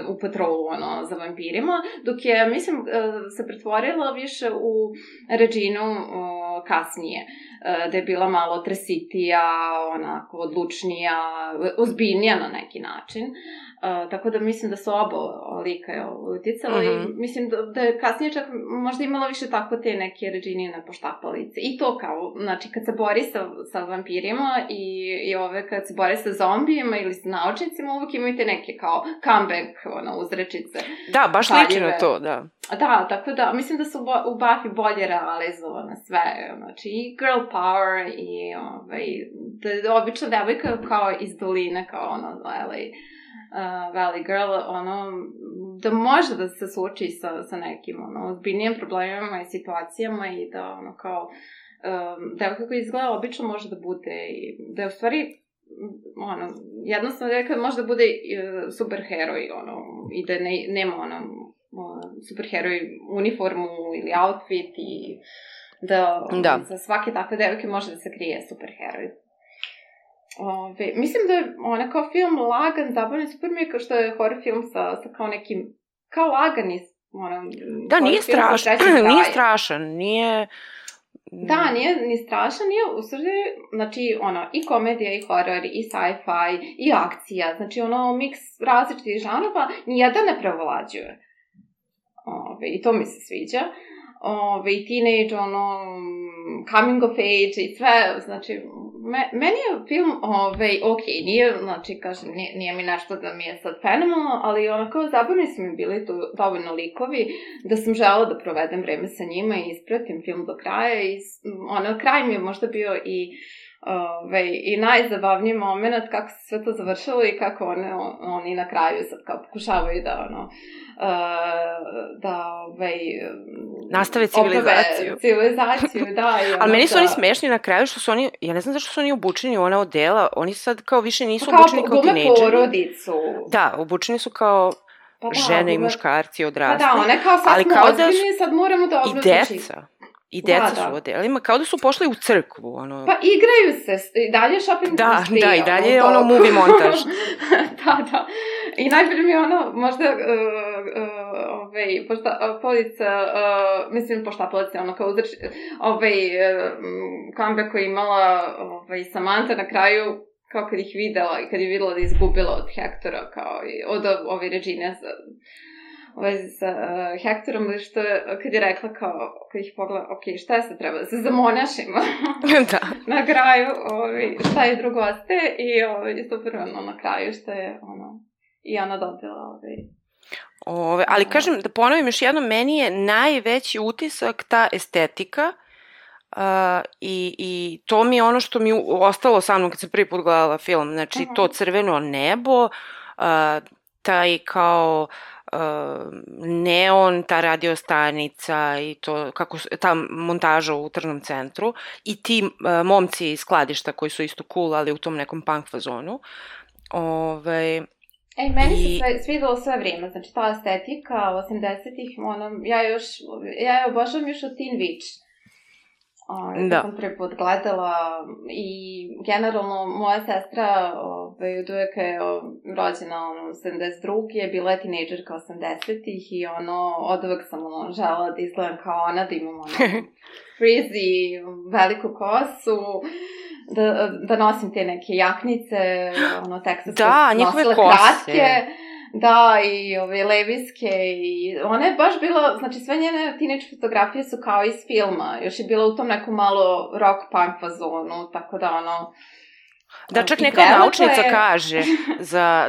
u patrolu za vampirima, dok je, mislim, se pretvorila više u Reginu kasnije, da je bila malo tresitija, onako odlučnija, ozbiljnija na neki način. Tako da mislim da su oba lika uticala i mislim da je kasnije čak možda imala više tako te neke Reginine poštapalice. I to kao, znači kad se bori sa vampirima i kad se bori sa zombijima ili sa naučnicima, uvijek imaju te neke kao comeback uzrečice. Da, baš liči na to, da. Da, tako da, mislim da su u Buffy bolje realizovane sve, znači i girl power i da je obična devojka kao iz doline, kao Valley Girl, da može da se suoči sa nekim ozbiljnijim problemima i situacijama i da kao devojka koja izgleda obično može da bude i da je u stvari jednostavno devojka može da bude superheroj i da nema superheroj uniformu ili outfit i da za svake takve devojke može da se krije superheroj. Mislim da je ona kao film lagan, zabavni, super mi je kao što je horror film sa kao nekim, kao lagani. Da, nije strašan, nije... Da, nije ni strašan, nije u stvari, znači, i komedija, i horor, i sci-fi, i akcija, znači, miks različitih žanrova, nijedan ne prevlađuje. I to mi se sviđa. I teenage, coming of age i sve, znači, meni je film, nije, znači, kažem, nije mi nešto da mi je sad fenomenalno, ali onako zabavni su mi bili tu dovoljno likovi da sam želela da provedem vreme sa njima i ispratim film do kraja i kraj mi je možda bio i I najzabavniji moment kako se sve to završilo i kako oni na kraju sad kao pokušavaju da nastave civilizaciju. Da. Ali meni su oni smešni na kraju što su oni, ja ne znam zašto su oni obučeni u ona odela, oni sad kao više nisu obučeni kao tinejdžeri. Kao porodicu. Da, obučeni su kao žene i muškarci odrasli. Pa da, one kao sad smo ozbiljni, sad moramo da obrazno čistiti. I deca su u odelima, kao da su pošli u crkvu. Pa igraju se, i dalje shopping industrija. Da, i dalje je movie montaž. Da. I najbolje mi je možda, poštapalica, kao uzreč, comeback koji je imala Samantha na kraju, kao kad ih videla i kad je videla da je izgubila od Hektora, kao i od ove Regine sa Hektorom, što kad je rekla kao, kad ih pogleda, šta se treba, da se zamonašimo na kraju, šta je drugo ostaje i super na kraju što je i ona dobila ali kažem, da ponovim još jednom, meni je najveći utisak ta estetika i to mi je ono što mi ostalo sa mnom kad sam prvi put gledala film, znači to crveno nebo, taj kao neon, ta radiostanica i to, kako ta montaža u tržnom centru i ti momci iz skladišta koji su isto cool, ali u tom nekom punk fazonu. Meni se svidelo sve vrijeme, znači ta estetika 80-ih, ja obožavam još od Teen Witch. Da sam prvi put gledala i generalno moja sestra od uvijek je rođena 72. je bila tinejdžerka 80-ih i od uvijek sam žela da izgledam kao ona, da imam frizzy, veliku kosu, da nosim te neke jaknice, teksaske nosile kratke. Da, i leviske i ona je baš bila, znači sve njene teenage fotografije su kao iz filma, još je bila u tom nekom malo rock punk fazonu, tako da Da, čak neka naučnica kaže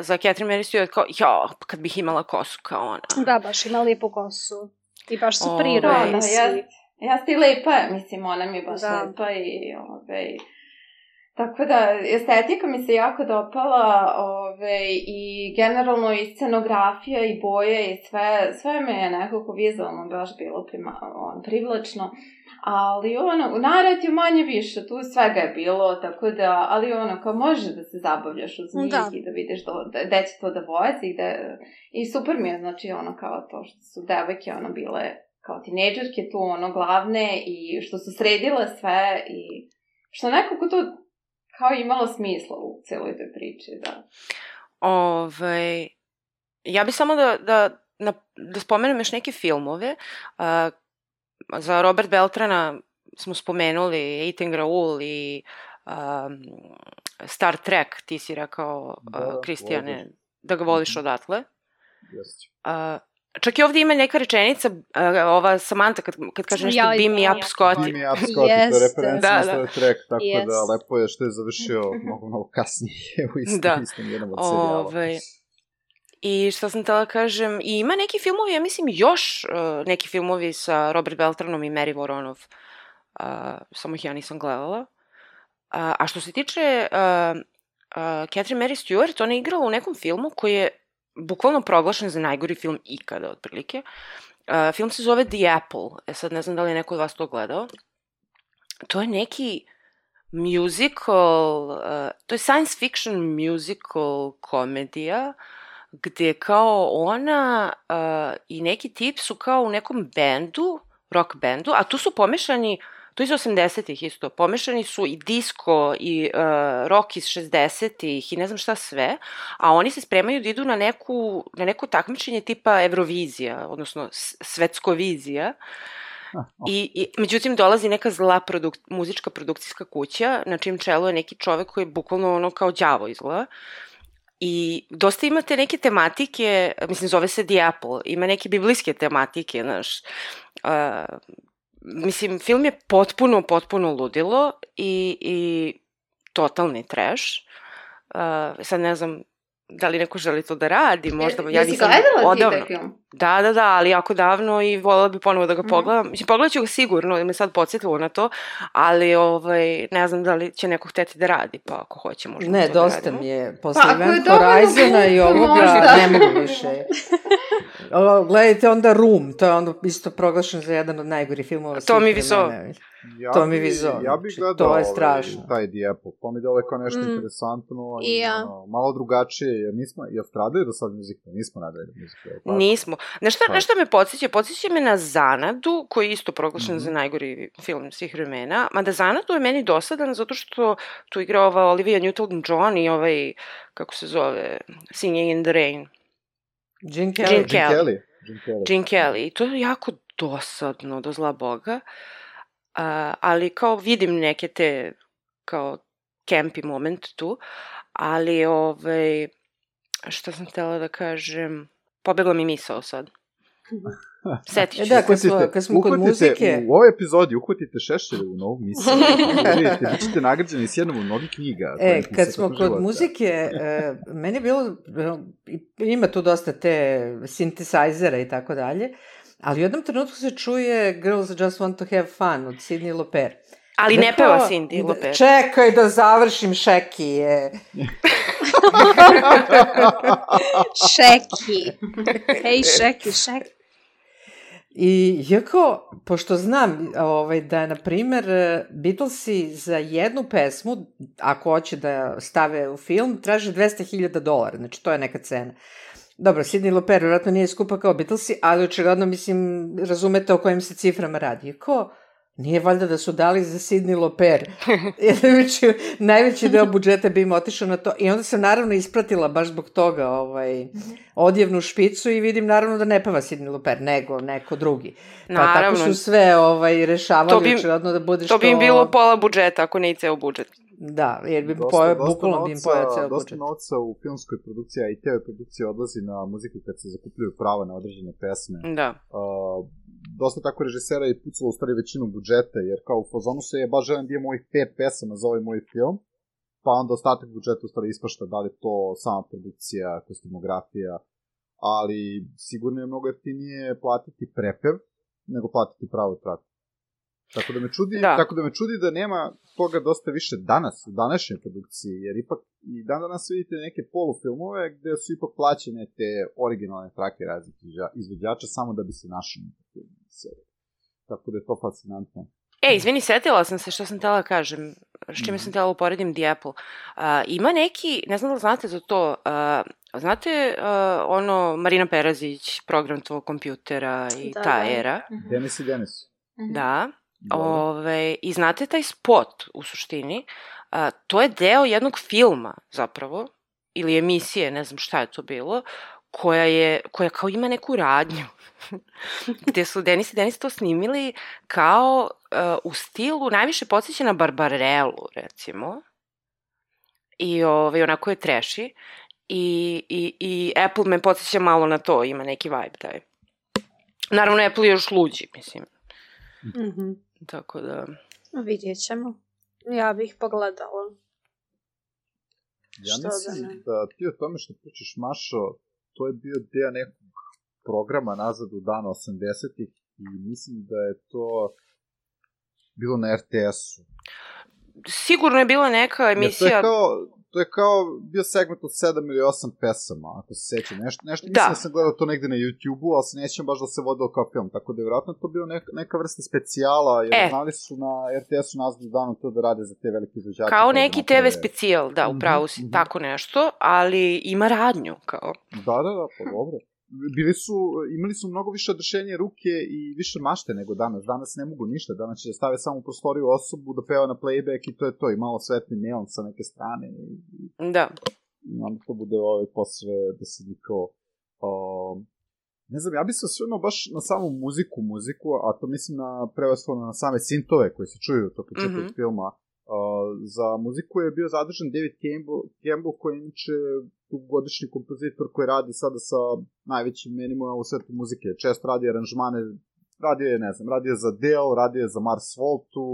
za Catherine Mary Stewart kao, kad bih imala kosu kao ona. Da, baš ima lijepu kosu i baš su prirodni svi. Jeste i lepa, mislim, ona mi je baš lepa i tako da, estetika mi se jako dopala i generalno i scenografija i boje i sve me je nekako vizualno baš bilo privlačno, ali u naratiju manje više, tu svega je bilo, tako da, ali kao može da se zabavljaš uz njih i da vidiš gde će to da vozi, i super mi je, znači kao to što su devojke bile kao tinejdžerke tu glavne i što su sredile sve i što nekako to kao imalo smisla u celoj toj priči, da. Ja bih samo da spomenem još neke filmove. Za Robert Beltrana smo spomenuli Eighteen Raoul i Star Trek, ti si rekao, Kristijane, da ga voliš odatle. Čak i ovdje ima neka rečenica, ova Samantha kad kaže nešto Beam me up, Scotty. Beam me up, Scotty, to je referencija na Star Trek, tako da lepo je što je završio mnogo kasnije u istom jednom od serijala. I što sam htjela kažem, i ima neki filmovi, ja mislim još neki filmovi sa Robert Beltranom i Mary Voronov, samo ih ja nisam gledala. A što se tiče Catherine Mary Stewart, ona je igrala u nekom filmu koji je bukvalno proglašen za najgori film ikada, otprilike. Film se zove The Apple. Sad ne znam da li je neko od vas to gledao. To je neki musical, to je science fiction musical komedija, gde kao ona i neki tip su kao u nekom bendu, rock bendu, a tu su pomešani, to iz 80-ih isto, pomešani su i disco i rock iz 60-ih i ne znam šta sve, a oni se spremaju da idu na neko takmičenje tipa Eurovizija, odnosno Svetskovizija. I međutim dolazi neka zla muzička produkcijska kuća, na čijem čelu je neki čovek koji je bukvalno kao đavo izgleda. I dosta imate neke tematike, mislim zove se The Apple, ima neke biblijske tematike, znaš. Mislim, film je potpuno ludilo i totalni trash. Sad ne znam da li neko želi to da radi, možda ja jesi nisam gledala ti odavno. taj film? Da, ali jako davno i voljela bi ponovo da ga pogledam. Mislim, pogledat ću ga sigurno, jer me sad podsjetilo na to, ali ne znam da li će neko hteti da radi, pa ako hoće možemo to da radimo. Ne, dosta mi je. Posle Event Horizona i ovoga ne mogu više. Gledajte onda Room, to je onda isto proglašen za jedan od najgorih filmova. To mi viso. To mi vizo. Ja bih gledao to je strašno. Taj The Apple. To mi dole kao nešto interesantno i malo drugačije, jer nismo, jel stradaju do sad muzika? Nismo nadali muzika. Nismo. Nešto me podsjeća me na Zanadu, koji je isto proglašen za najgori film svih vremena, mada Zanadu je meni dosadan zato što tu igra ova Olivia Newton-John i ovaj, kako se zove, Singing in the Rain. Gene Kelly. I to je jako dosadno, do zla Boga. Ali kao vidim neke te kao campy moment tu, ali šta sam htjela da kažem, pobegla mi misao sad. Setit ću. Da, kad smo kod muzike... U ovoj epizodi uhvatite Šešelju u novu misiju. Vidite, vi ćete nagrađeni s jednom od mnogih knjiga. Kad smo kod muzike, meni je bilo, ima tu dosta te synthesizera i tako dalje, ali u jednom trenutku se čuje Girls Just Want to Have Fun od Sidney Lauper. Ali ne peva Sidney Lauper. Čekaj da završim, Šeki je. Šeki. Hej, Šeki. I jako, pošto znam da, na primer, Beatlesi za jednu pesmu, ako hoće da stave u film, traže $200,000, znači to je neka cena. Dobro, Sidney Lauper vjerojatno nije skupa kao Beatlesi, ali očigledno, mislim, razumete o kojim se ciframa radi. Ko? Nije valjda da su dali za Sidney Lauper. Najveći deo budžeta bi im otišao na to. I onda sam naravno ispratila baš zbog toga odjevnu špicu i vidim naravno da ne peva Sidney Lauper, nego neko drugi. Pa tako su sve rešavali očigledno da bude što... To bi im bilo pola budžeta, ako ne i ceo budžet. Da, jer bi bukvalno bi im pojao ceo budžet. Dosta novca u filmskoj produciji, a i TV produkcije odlazi na muziku kad se zakupljuju prava na određene pesme. Da. Dosta tako režisera je pucalo u stvari većinu budžeta, jer kao u fazonu se je baš želim da imam ovih 5 pesama za ovaj moj film, pa onda ostatak budžeta u stvari ispašta da li to sama produkcija, kostimografija, ali sigurno je mnogo jeftinije platiti prepev nego platiti pravu traku. Tako da me čudi da nema toga dosta više danas, u današnjoj produkciji, jer ipak i danas vidite neke polufilmove gde su ipak plaćene te originalne trake raznih izvođača samo da bi se našli na filmu. Tako da je to fascinantno. Izvini, setila sam se što sam htjela kažem, s čime sam htjela uporedim The Apple. Ima neki, ne znam da znate za to, znate Marina Perazić, program tvojeg kompjutera i ta era? Denis i Denis. Da. I znate taj spot u suštini, to je deo jednog filma zapravo, ili emisije, ne znam šta je to bilo, koja kao ima neku radnju, gde su Denis i Denis to snimili kao u stilu, najviše podsjeća na Barbarellu, recimo, i onako je treši, i Apple me podsjeća malo na to, ima neki vibe taj. Naravno, Apple je još luđi, mislim. Tako da... Vidjet ćemo. Ja bih pogledala. Ja mislim da ti o tome što pričaš, Mašo, to je bio deo nekog programa nazad u dana 80-ih i mislim da je to bilo na RTS-u. Sigurno je bila neka emisija... To je kao bio segment od 7 ili 8 pesama, ako se sećam. Nešto mislim da sam gledao to negde na YouTube-u, ali se nećem baš da se vodilo kao film. Tako da je vjerojatno to bilo neka vrsta specijala, jer znali su na RTS-u nazad u danu to da rade za te velike izvođače. Kao neki TV specijal, da, upravo si, tako nešto, ali ima radnju, kao. Da, pa dobro. Imali su mnogo više odrešenje ruke i više mašte nego danas. Danas ne mogu ništa. Danas će da stave samo u prostoriju osobu da peva na playback i to je to. I malo svetli neon sa neke strane. Da. I onda to bude posle da se nikao... Ne znam, ja bi se osvrnuo baš na samu muziku, a to mislim prevashodno na same sintove koje se čuju to početak filma. Za muziku je bio zadržan David Campbell, koji je inače dugogodišnji kompozitor koji radi sada sa najvećim imenima u svetu muzike. Često radi aranžmane, radio je za Adele, radio je za Mars Voltu,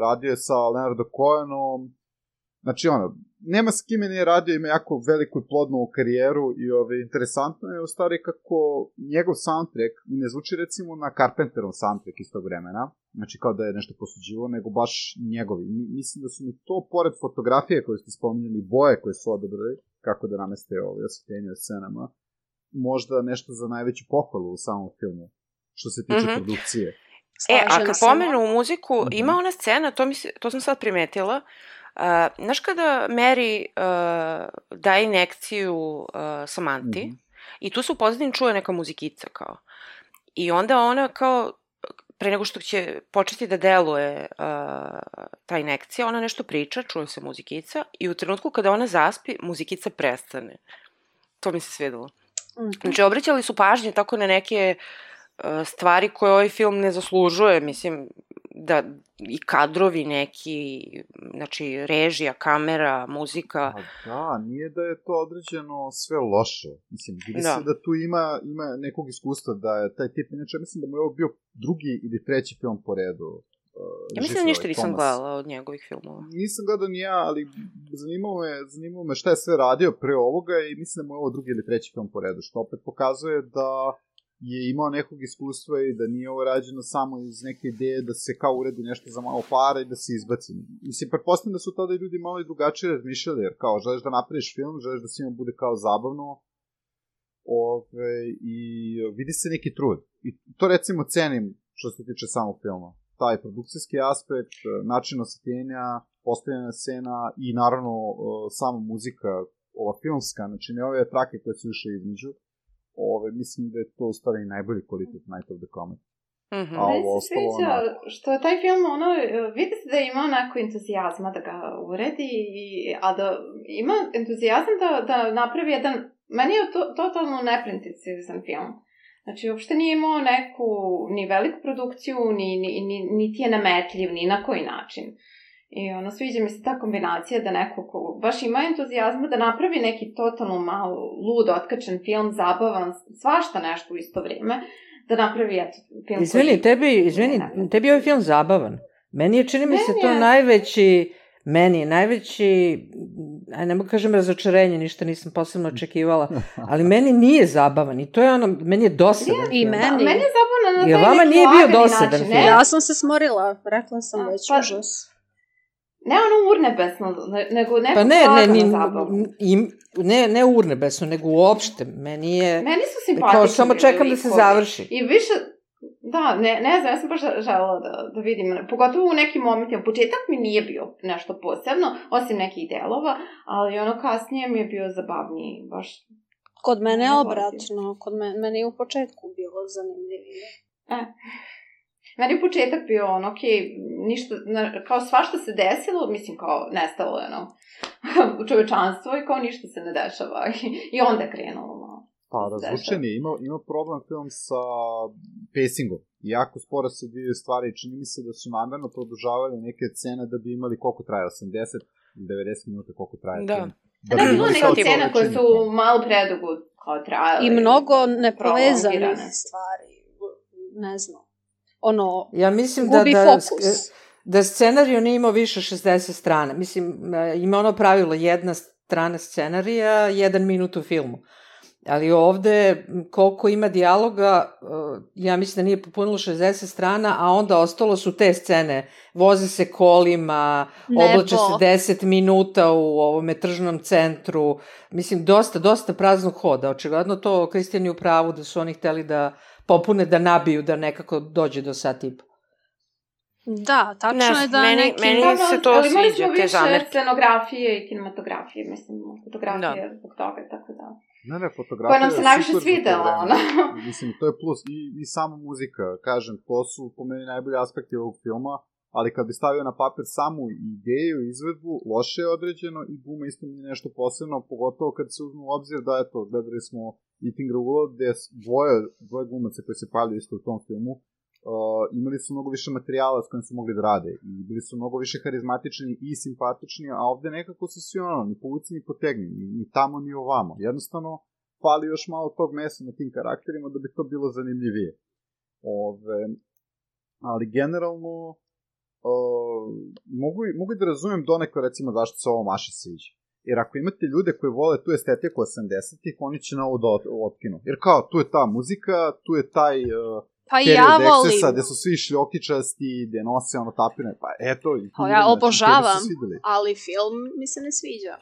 radio je sa Leonardo Cohenom. Znači nema s kime nije radio, ima jako veliku i plodnu karijeru i interesantno je u stvari kako njegov soundtrack ne zvuči recimo na Carpenterov soundtrack iz tog vremena, znači kao da je nešto posuđivo, nego baš njegovi. Mislim da su mi to, pored fotografije koje ste spominjali, boje koje su odabrali, kako da nameste osvetljenje o scenama, možda nešto za najveću pohvalu u samom filmu, što se tiče produkcije. A kad pomenu muziku, ima ona scena, to sam sad primetila, znaš kada Mary daje injekciju Samanti i tu se u pozadini čuje neka muzikica kao. I onda ona kao, pre nego što će početi da deluje ta injekcija, ona nešto priča, čuje se muzikica i u trenutku kada ona zaspi, muzikica prestane. To mi se svidelo. Znači, obraćali su pažnje tako na neke stvari koje ovaj film ne zaslužuje, mislim, da i kadrovi neki, znači režija, kamera, muzika. Da, nije da je to određeno sve loše. Mislim, vidi se da tu ima nekog iskustva, da je taj tip, inače mislim da mu je ovo bio drugi ili treći film po redu. Ja mislim da ništa nisam gledala od njegovih filmova. Nisam gledao ni ja, ali zanimalo me šta je sve radio pre ovoga i mislim da mu je ovo drugi ili treći film po redu, što opet pokazuje da je imao nekog iskustva i da nije ovo rađeno samo iz neke ideje da se kao uredi nešto za malo para i da se izbaci. Mislim, pretpostavljam da su tada ljudi malo i drugačije razmišljali, jer kao želiš da napraviš film, želiš da svima bude kao zabavno i vidi se neki trud. I to recimo cenim što se tiče samog filma. Taj produkcijski aspekt, način osvetljenja, postavljena scena i naravno sama muzika, ova filmska, znači ne ove trake koje su više između. Mislim da je to u stvari najbolji kvalitet Night of the Comet. Meni se sviđa što je taj film, vidi se da je imao neko entuzijazma da ga uredi, a da ima entuzijazam da napravi jedan, meni je to totalno nepretencijozan film. Znači, uopšte nije imao neku ni veliku produkciju, niti je nametljiv, ni na koji način. I sviđa mi se ta kombinacija da neko ko baš ima entuzijazma da napravi neki totalno malo lud, otkačen film, zabavan, svašta nešto u isto vrijeme, da napravi film Izvini, tebi je ovaj film zabavan. Meni je, čini mi se, to najveći, ne mogu kažem razočarenje, ništa nisam posebno očekivala, ali meni nije zabavan i to je meni je dosadan film. I meni je zabavan na taj neki vama nije bio dosadan film? Ja sam se smorila, rekla sam već užas. Ne urnebesno, nego nekako lagano zabavno. Ne urnebesno, nego uopšte. Meni su simpatični. Samo čekam da se završi. I više, ne znam, ja sam baš želela da vidim, pogotovo u nekim momentima. Početak mi nije bio nešto posebno, osim nekih delova, ali kasnije mi je bio zabavniji, baš. Kod mene je obratno, meni je u početku bilo zanimljivije. Meni je početak bio ništa, kao svašta se desilo, mislim kao nestalo je čovečanstvo i kao ništa se ne dešava i onda krenulo malo. Pa razvučen je, ima problem film sa pacingom, jako sporo se dvije stvari, čini mi se da su namerno produžavali neke scene da bi imali koliko traje, 80-90 minuta koliko traje film. Da bi bilo neke scene koje su malo predugo kao trajale. I mnogo nepovezanih stvari, ne znam. Ja mislim da scenariju nije imao više 60 strana. Mislim, ima pravilo, jedna strana scenarija, 1 minut u filmu. Ali ovde, koliko ima dijaloga, ja mislim da nije popunilo 60 strana, a onda ostalo su te scene. Voze se kolima, oblače se 10 minuta u ovome tržnom centru. Mislim, dosta praznog hoda. Očigledno to Kristijan je u pravu da su oni hteli da popune, da nabiju, da nekako dođe do sat i po. Da, tačno je da meni se to sviđa, te zamerke. Ali imali smo više scenografije i kinematografije, mislim, fotografije zbog toga, tako da. Ne, fotografija koja nam se najviše svidela, Mislim, to je plus. I sama muzika, kažem, to su po meni najbolji aspekti ovog filma, ali kad bi stavio na papir samu ideju, izvedbu, loše je određeno i guma isto nije nešto posebno, pogotovo kad se uzme u obzir da, gledali smo Eating Raoul, gde dvoje glumaca koji se pavljaju isto u tom filmu, imali su mnogo više materijala s kojim su mogli da rade i bili su mnogo više harizmatični i simpatični, a ovde nekako su svi ni povuci ni potegni, ni tamo ni ovamo. Jednostavno, fali još malo tog mesa na tim karakterima da bi to bilo zanimljivije. Ali generalno, mogu da razumem donekle, recimo, zašto se ovo Maši sviđa. Jer ako imate ljude koji vole tu estetiku 80-ih, oni će na ovo da otkinu. Jer kao, tu je ta muzika, tu je taj period ekscesa, gde su svi šljokičasti, gde nose tapine, pa eto. Ja obožavam, ali film mi se ne sviđa.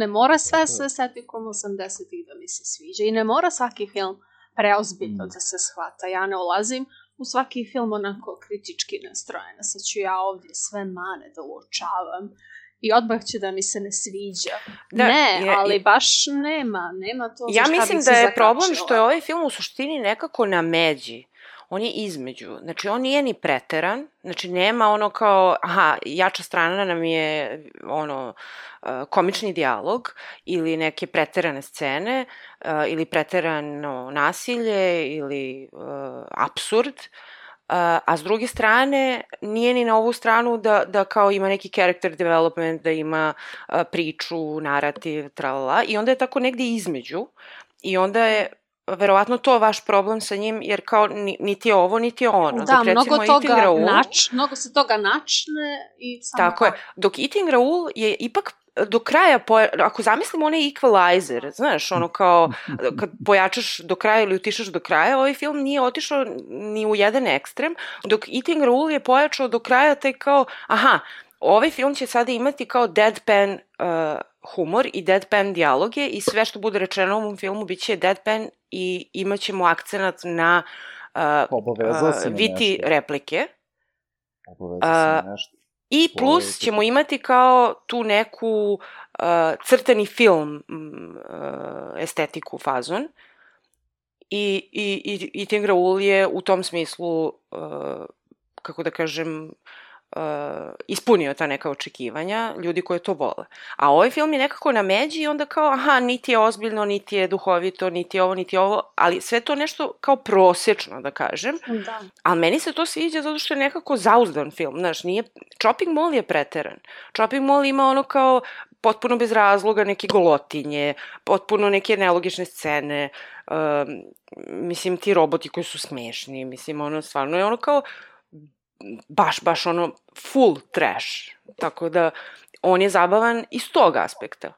Ne mora sve sa estetikom 80-ih da mi se sviđa i ne mora svaki film preozbiljno da se shvata. Ja ne ulazim u svaki film onako kritički nastrojena. Sad ću ja ovdje sve mane da uočavam i odmah će da mi se ne sviđa. Ali baš nema to. Ja mislim da je problem što je ovaj film u suštini nekako na međi. On je između. Znači, on nije ni preteran. Znači, nema ono kao, jača strana nam je komični dijalog ili neke preterane scene ili preterano nasilje ili apsurd. A s druge strane, nije ni na ovu stranu da kao ima neki character development, da ima priču, narativ, tralala. I onda je tako negdje između. I onda je verovatno to vaš problem sa njim, jer kao niti je ovo, niti je ono. Da, mnogo se toga načne i samo... Tako je. Dok Eating Raoul je ipak do kraja, ako zamislimo onaj equalizer, znaš, ono kao, kad pojačaš do kraja ili utišaš do kraja, ovaj film nije otišao ni u jedan ekstrem, dok Eating Raoul je pojačao do kraja taj kao, ovaj film će sada imati kao deadpan humor i deadpan dijaloge i sve što bude rečeno u ovom filmu bit će deadpan i imat ćemo akcenat na viti replike. I plus ćemo imati kao tu neku crtani film estetiku fazon i Eating Raoul je u tom smislu, kako da kažem, ispunio ta neka očekivanja ljudi koji to vole. A ovaj film je nekako na međi i onda kao, niti je ozbiljno, niti je duhovito, niti je ovo, ali sve to nešto kao prosječno, da kažem. Da. Ali meni se to sviđa zato što je nekako zauzdan film, znaš, nije... Chopping Mall je preteran. Chopping Mall ima ono kao potpuno bez razloga neke golotinje, potpuno neke nelogične scene, mislim, ti roboti koji su smešni, mislim, ono, stvarno je ono kao baš ono full trash, tako da on je zabavan iz tog aspekta,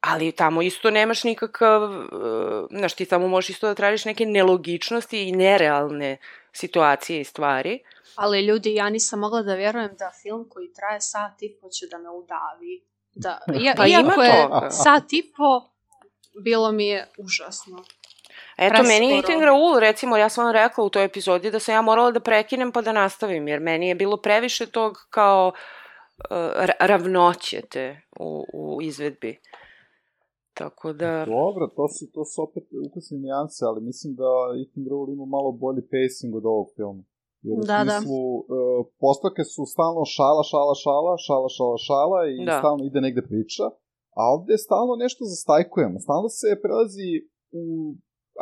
ali tamo isto nemaš nikakav, znaš, ti tamo možeš isto da tražiš neke nelogičnosti i nerealne situacije i stvari. Ali ljudi, ja nisam mogla da vjerujem da film koji traje sat i po će da me udavi. Iako je sat i po, bilo mi je užasno. Eto, meni je Eating Raoul, recimo, ja sam vam rekla u toj epizodi da sam ja morala da prekinem pa da nastavim, jer meni je bilo previše tog kao ravnoće te u izvedbi. Tako da... Dobro, to su opet ukusne nijanse, ali mislim da Eating Raoul ima malo bolji pacing od ovog filma. Jer u smislu, postavke su stalno šala i stalno ide negde priča, a ovde stalno nešto zastajkujemo, stalno se prelazi u...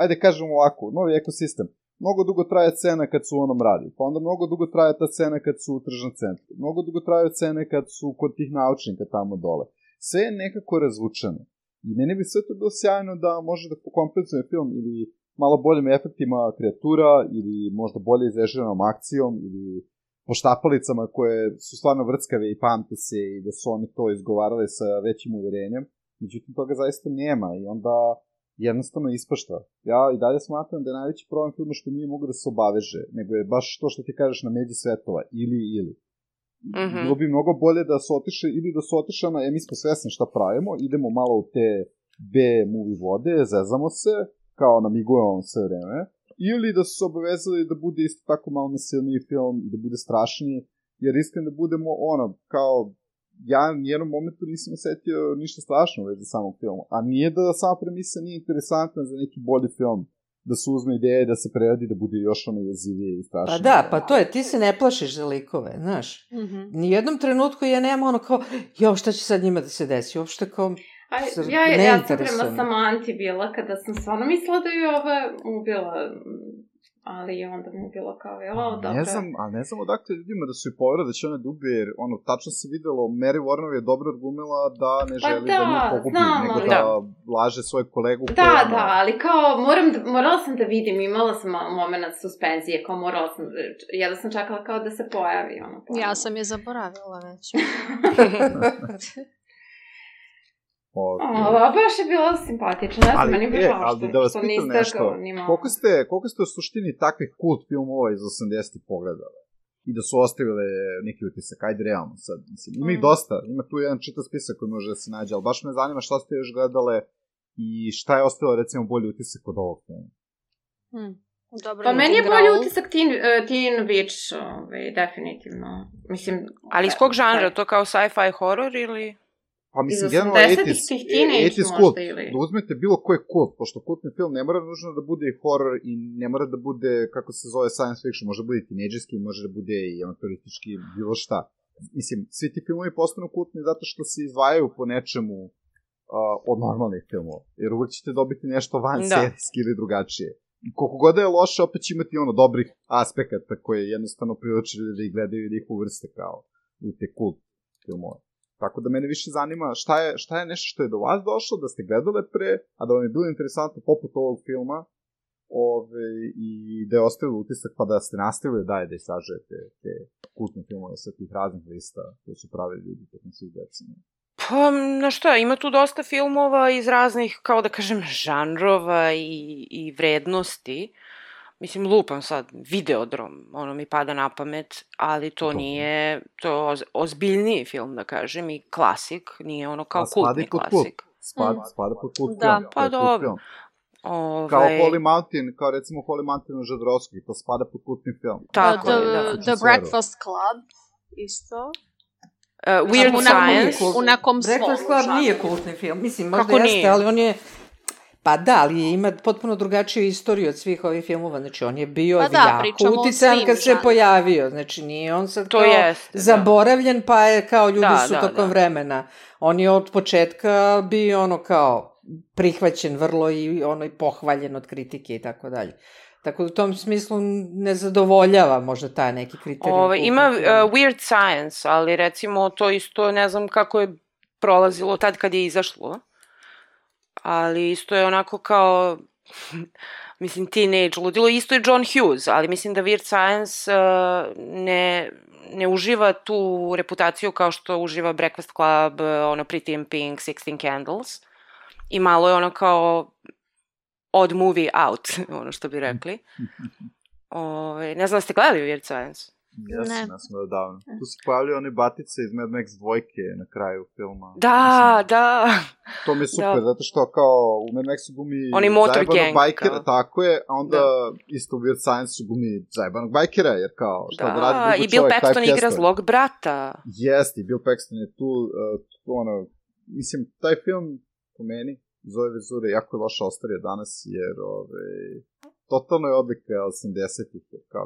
Ajde kažemo ovako, novi ekosistem. Mnogo dugo traje scena kad su u onom radiju, pa onda mnogo dugo traje ta scena kad su u tržnom centru. Mnogo dugo traju scene kad su kod tih naučnika tamo dole. Sve je nekako razvučeno. I meni bi sve to bilo sjajno da može da pokompenzuje film ili malo boljim efektima kreatura ili možda bolje izrežiranom akcijom ili poštapalicama koje su stvarno vrckave i pamte se i da su oni to izgovarali sa većim uverenjem. Međutim, toga zaista nema i onda jednostavno ispašta. Ja i dalje smatram da je najveći problem filma što nije mogu da se obaveže, nego je baš to što ti kažeš na međi svetova, ili. Bilo bi mnogo bolje da su otišli, ili da su otišli mi smo svesni šta pravimo, idemo malo u te B-movie vode, zezamo se, kao namigujemo sve vreme, ili da su se obavezali da bude isto tako malo nasilniji film i da bude strašniji, jer iskreno da budemo kao ja u jednom momentu nisam osetio ništa strašno u vezi samog filma. A nije da sama premisa nije interesantna za neki bolji film. Da se uzme ideje, da se preradi, da bude još jezivije i strašnije. Pa da, pa to je, ti se ne plašiš za likove, znaš. Nijednom trenutku ja nemam šta će sad njima da se desi, uopšte kao... Ja sam prema Samanti bila kada sam stvarno mislila da je ova ubila... Ali onda mi je bilo kao, dobro. Ne znam odakle ljudima da su i povera da će ona da ubije, jer tačno se videlo, Mary Warner je dobro argumila da ne želi da nju pogubi, nego da laže svoj kolegu. Da, ali kao, morala sam da vidim, imala sam moment suspenzije, kao morala sam, jedno sam čekala kao da se pojavi. Ja sam je zaboravila već. Baš je bila simpatična, ne znam, meni je žao ali da vas pitam nešto, koliko ste u suštini takvih kult filmova iz 80-ih pogledali? I da su ostavile neki utisak, ajde realno sad, mislim, ima ih dosta, ima tu jedan čitav spisak koji može da se nađe, ali baš me zanima šta ste još gledale i šta je ostalo, recimo, bolji utisak od ovog filma. Dobro, pa meni je bolji utisak Teen Witch, definitivno. Mislim, ali iz kog žanra? To kao sci-fi horror ili... Pa mislim, jedno 80's kult, da uzmete bilo koji kult, pošto kultni film ne mora nužno da bude i horror i ne mora da bude, kako se zove, science fiction, može da bude i tineđerski, može da bude i amaturistički, bilo šta. Mislim, svi ti filmovi postanu kultni zato što se izdvajaju po nečemu od normalnih filmova, jer uvek ćete dobiti nešto van serijski ili drugačije. Koliko god je loše, opet će imati dobrih aspekata koje jednostavno priličili da ih gledaju i da ih uvrste kao u te kult filmove. Tako da mene više zanima šta je nešto što je do vas došlo, da ste gledale pre, a da vam je bilo interesantno poput ovog filma i da je ostavilo utisak pa da ste nastavili da istražujete te kultne filmove sa tih raznih lista koje su pravili ljudi tokom svih decenija. Pa, znaš šta, ima tu dosta filmova iz raznih, kao da kažem, žanrova i vrednosti. Mislim, lupam sad, Videodrom, ono mi pada na pamet, ali to nije, to je ozbiljniji film, da kažem, i klasik, nije ono kao kultni klasik. Spada pod kult film. Da, pa dobro. Kao Holy Mountain, kao recimo Holy Mountain u Žadrovski, to spada pod kultni film. Tako je, da. The Breakfast Club, isto. Weird Science. U nekom svom. Breakfast Club nije kultni film, mislim, možda jeste, ali on je... Pa da, ali ima potpuno drugačiju istoriju od svih ovih filmova, znači on je bio jako uticajan kad se pojavio, znači nije on sad kao zaboravljen pa je kao ljudi su tokom vremena. On je od početka bio ono kao prihvaćen vrlo i ono i pohvaljen od kritike i tako dalje. Tako da u tom smislu ne zadovoljava možda taj neki kriterijum. Ima Weird Science, ali recimo to isto ne znam kako je prolazilo tad kad je izašlo. Ali isto je onako kao, mislim, teenage ludilo. Isto je John Hughes, ali mislim da Weird Science ne uživa tu reputaciju kao što uživa Breakfast Club, ono Pretty in Pink, 16 Candles. I malo je ono kao odd movie out, ono što bi rekli. Ne znam da ste gledali Weird Science? Ja sam odavno. Tu se pojavljaju one batice iz Mad Max 2 na kraju filma. Da. To mi je super, zato što kao u Mad Maxu gumi zajebanog bajkera, tako je, a onda isto u Weird Science gumi zajebanog bajkera, jer kao, šta da radi drugo čovjek, i Bill Paxton igra zlog brata. Jeste, i Bill Paxton je tu, mislim, taj film, po meni, iz ove vizure, jako je loša ostario danas, jer, totalno je odlika 80-ih, kao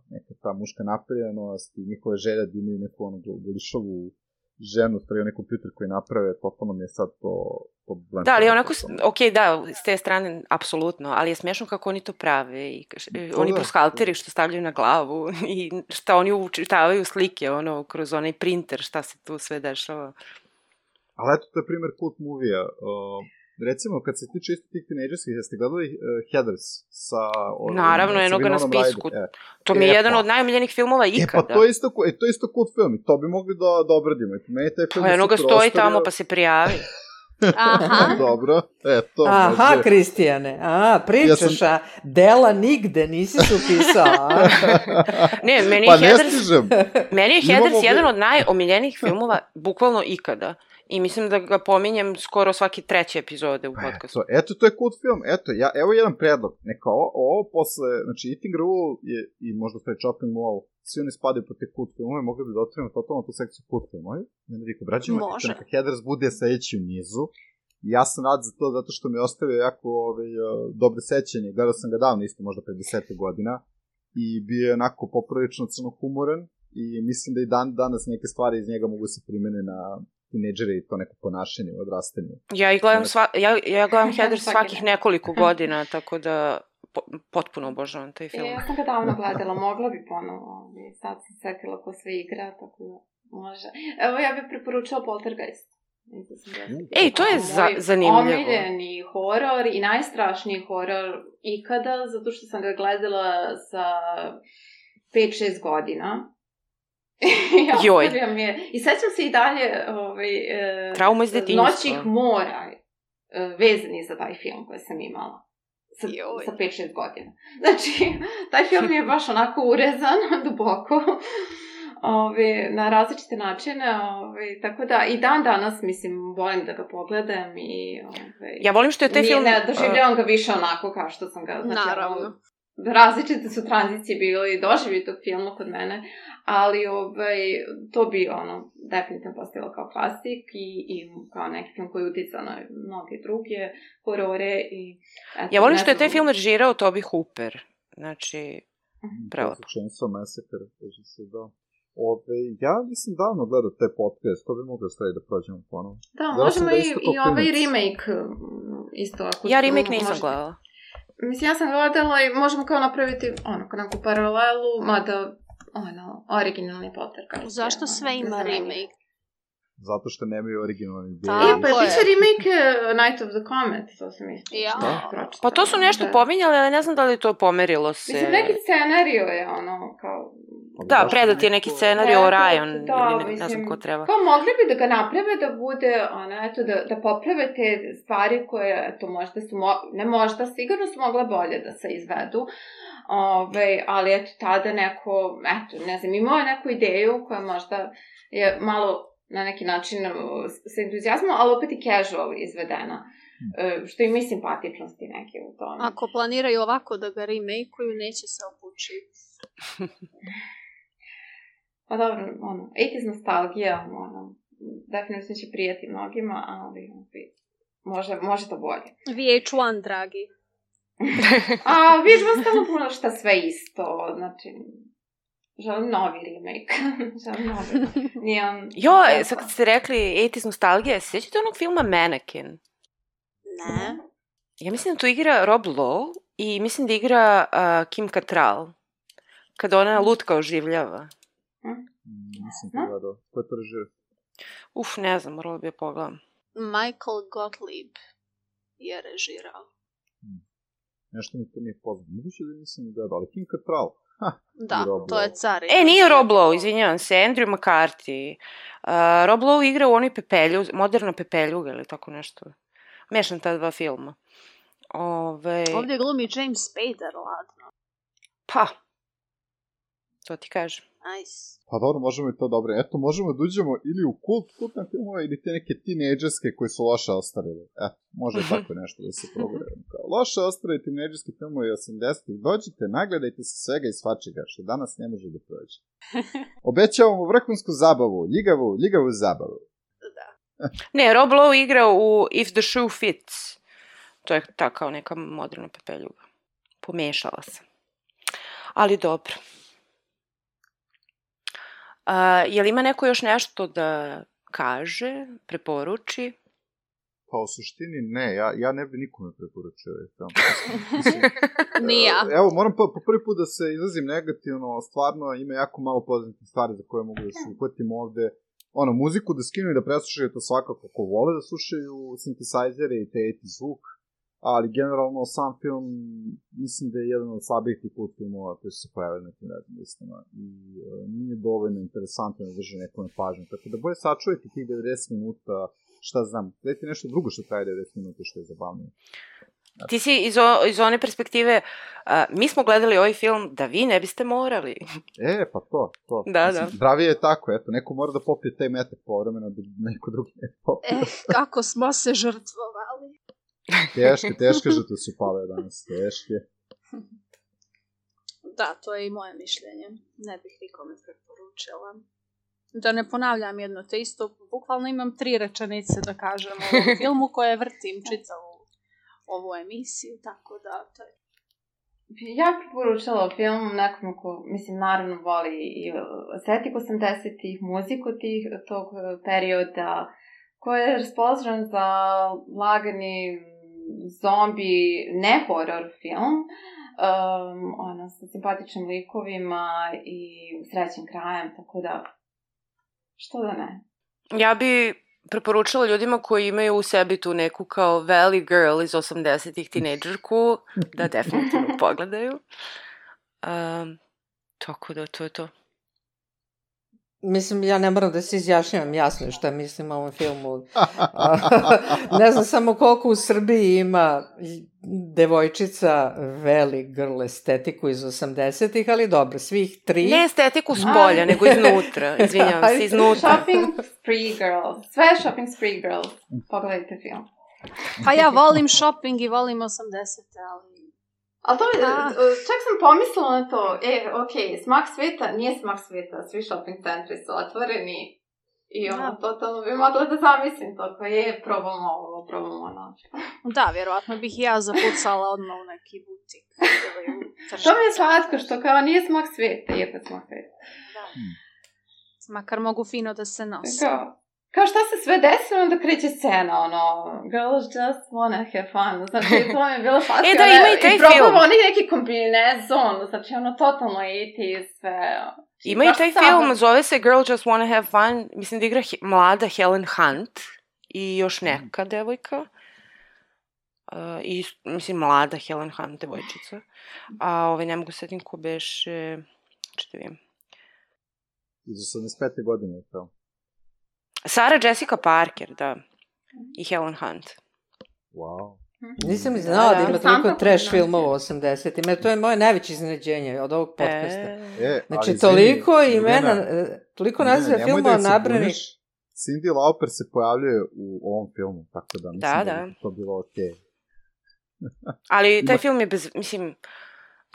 neka ta muška napravljenost i njihove želje da imaju neku golišovu ženu, stavio neki kompjuter koji naprave, totalno mi je sad to blend. Da, ali onako, s te strane, apsolutno, ali je smiješno kako oni to prave i oni proskalteri što stavljaju na glavu i šta oni učitavaju slike, kroz onaj printer, šta se tu sve dešava. Ali eto, to je primjer kult movija. Recimo, kad se tiče isto tih tinejdžerskih, jeste gledali Heathers sa... Naravno, jednoga na spisku. To mi je jedan od najomiljenih filmova ikada. Pa to je isto kult film i to bi mogli da obradimo. Pa jednoga stoji tamo pa se prijavi. Aha. Dobro, eto. Aha, Kristijane, pričaš, dela nigde, nisi se upisao. Ne, meni je Heathers jedan od najomiljenijih filmova, bukvalno ikada. I mislim da ga pominjem skoro svaki 3. epizode u podcastu. Eto, to je kult film. Evo jedan predlog. Neka ovo posle, znači Eating Rule i možda pre Chopping Mall, svi oni spadaju po te kult filmove, mogli bi da otvorimo totalno tu sekciju kult filmovi. I onda vi obrađujemo, neka Heathers bude sledeći u nizu. Ja sam rad za to zato što mi je ostavio jako dobre sećanje. Gledao sam ga davno, isto možda pre 10 godina. I bio je onako poprilično crnohumoran. I mislim da i danas neke stvari iz njega mogu se primene na tineđere i to neko ponašanje u odrastanju. Ja gledam Heathers svakih nekoliko godina, tako da potpuno obožavam taj film. Ja sam ga davno gledala, mogla bi ponovo. Sad sam setila ko sve igra, tako da može. Evo, ja bih preporučila Poltergeist. Ej, to je zanimljivo. Omiljeni horor i najstrašniji horor ikada, zato što sam ga gledala sa 5-6 godina. Joj. I sećam se i dalje trauma iz detinjstva. Noćih mora vezani za taj film koji sam imala. Sa 5-6 godina. Znači, taj film je baš onako urezan, duboko, na različite načine, tako da i dan danas, mislim, volim da ga pogledam i... Ja volim što je taj film... Ne doživljavam ga više onako kao što sam ga... Znači, naravno. Različite su tranzicije bile i doživi tog filma kod mene, ali to bi definitivno postavilo kao klasik i kao neki film koji uticao na mnoge druge horore i... Ja volim što je taj film režirao Toby Hooper, znači prelepo. Chainsaw Massacre, kaže se, da. Ja nisam davno gledao te podcast, to bi moglo staviti da prođemo ponovno. Da, možemo i ovaj remake isto. Ja remake nisam gledala. Mislim, ja sam gledala i možemo kao napraviti neku paralelu, mada originalni Potter. Zašto sve ima remake? Zato što nemaju originalni ideje. Pa je biće remake Night of the Comet, to sam isto. Pa to su nešto pominjali, ali ne znam da li to pomerilo se. Mislim, neki scenario je kao... Da, predat je neki scenarij o Orion, ili ne znam ko treba. Kao mogli bi da ga naprave da bude, da poprave te stvari koje, možda su, ne možda, sigurno su mogle bolje da se izvedu, ali tada neko, ne znam, imao je neku ideju koja možda je malo na neki način sa entuzijazmom, ali opet i casual izvedena. Što ima i simpatičnosti neke u tome. Ako planiraju ovako da ga remake-uju, neće se obući. Pa dobro, 80s nostalgija, definitivno će prijati mnogima, ali može to bolje. VH1, dragi. VH1 stalo puno šta sve isto, znači... Želim novi remake. Sad kad ste rekli 80s nostalgija, sjećate onog filma Mannequin? Ne. Ja mislim da tu igra Rob Lowe i mislim da igra Kim Cattrall. Kada ona lutka oživljava. Nisam pogledao. Ko je to režirao? Ne znam, morala bi je pogledam. Michael Gottlieb je režirao. Nešto mi to nije poznano. Moguće da nisam gledao, ali Kim Cattrall. Da, to je car. Nije Rob Lowe, izvinjavam se, Andrew McCarthy. Rob Lowe igra u onoj Pepelju, Moderna Pepeljuga ili tako nešto. Mešam ta dva filma. Ovdje glumi James Spader, ladno. Pa, to ti kažem. Nice. Pa dobro, možemo i to dobro. Eto, možemo da uđemo ili u kultne filmove ili te neke tinejdžerske koji su loše ostarili. Eto, može tako nešto da se progovorimo. Loše ostarili tinejdžerski filmovi 80-ih. Dođite, nagledajte se svega i svačega, što danas ne može da prođe. Obećavamo vrhunsku zabavu, ljigavu zabavu. Da. Ne, Rob Lowe igra u If the Shoe Fits. To je ta kao neka Moderna Pepeljuga. Pomešala sam. Ali dobro. Je li ima neko još nešto da kaže, preporuči? Pa u suštini ne, ja ne bi nikome preporučio. Ni ja. Evo, moram po prvi put da se izrazim negativno, stvarno ima jako malo pozitivnih stvari za koje mogu da se uhvatim ovde. Muziku da skinu i da preslušaju to svakako ko vole da slušaju synthesizere i te 80 zvuk, ali generalno sam film mislim da je jedan od slabijih tih kult filmova koji su se pojavili na tim raznim listama i nije dovoljno interesantno da drži nekome pažnju, tako da bolje sačuvajte tih 90 minuta, šta znam, gledajte nešto drugo što traje 90 minuta što je zabavnije. Ti si iz one perspektive, mi smo gledali ovaj film da vi ne biste morali. Pa to. Da. Zdravije je tako, eto, neko mora da popije taj metak povremeno da neko drugi ne popije. Kako smo se žrtvovali. Teške žrtve su pale danas, teške. Da, to je i moje mišljenje. Ne bih nikome preporučila. Da ne ponavljam jedno te isto, bukvalno imam 3 rečenice da kažem o ovom filmu koje vrtim čitavu ovu emisiju, tako da to je... Ja preporučala film nekom ko, mislim, naravno voli i estetik 80-ih, muziku tog perioda, koji je raspoložen za lagani zombi, ne horror film, sa simpatičnim likovima i srećnim krajem, tako da, što da ne. Ja bi preporučila ljudima koji imaju u sebi tu neku kao Valley Girl iz 80-ih tinejdžerku, da definitivno pogledaju. Tako da, to je to. Mislim, ja ne moram da se izjašnjavam jasno šta mislim o ovom filmu. Ne znam samo koliko u Srbiji ima devojčica veli girl estetiku iz 80-ih, ali dobro, svih 3. Ne estetiku s polja, nego iznutra. Izvinjavam se, iznutra. Shopping Spree Girls. Sve Shopping Spree Girls. Pogledajte film. Pa ja volim shopping i volim 80-te, ali... Ali to čak sam pomislila na to, smak sveta, nije smak sveta, svi shopping centri su otvoreni i totalno bi mogla da zamislim to, ko probamo ovo, probamo ono. Da, vjerovatno bih i ja zapucala odmah u neki butik. To mi je slatko, što kao nije smak sveta, iako je smak sveta. Da. Makar mogu fino da se nosi. Kao šta se sve desilo, onda kreće scena, ono, girls just wanna have fun, znači to mi je bilo slatko. Da, ima i taj film. I probamo neki kombinezon, znači ono, totalno i sve. Ima i taj film, zove se Girl Just Wanna Have Fun, mislim da igra mlada Helen Hunt i još neka devojka. I, mislim, mlada Helen Hunt, devojčica. A ne mogu setim ko beše, čete vidim. Iz 85. godine je to. Sarah Jessica Parker, da. I Helen Hunt. Wow. Nisam ni znala da ima toliko trash filmova u 80-ima. To je moje najveće iznenađenje od ovog podcasta. Znači, toliko imena, toliko naziva filmova nabranih. Cyndi Lauper se pojavljuje u ovom filmu, tako da mislim da je to bilo okej. Ali taj film je mislim,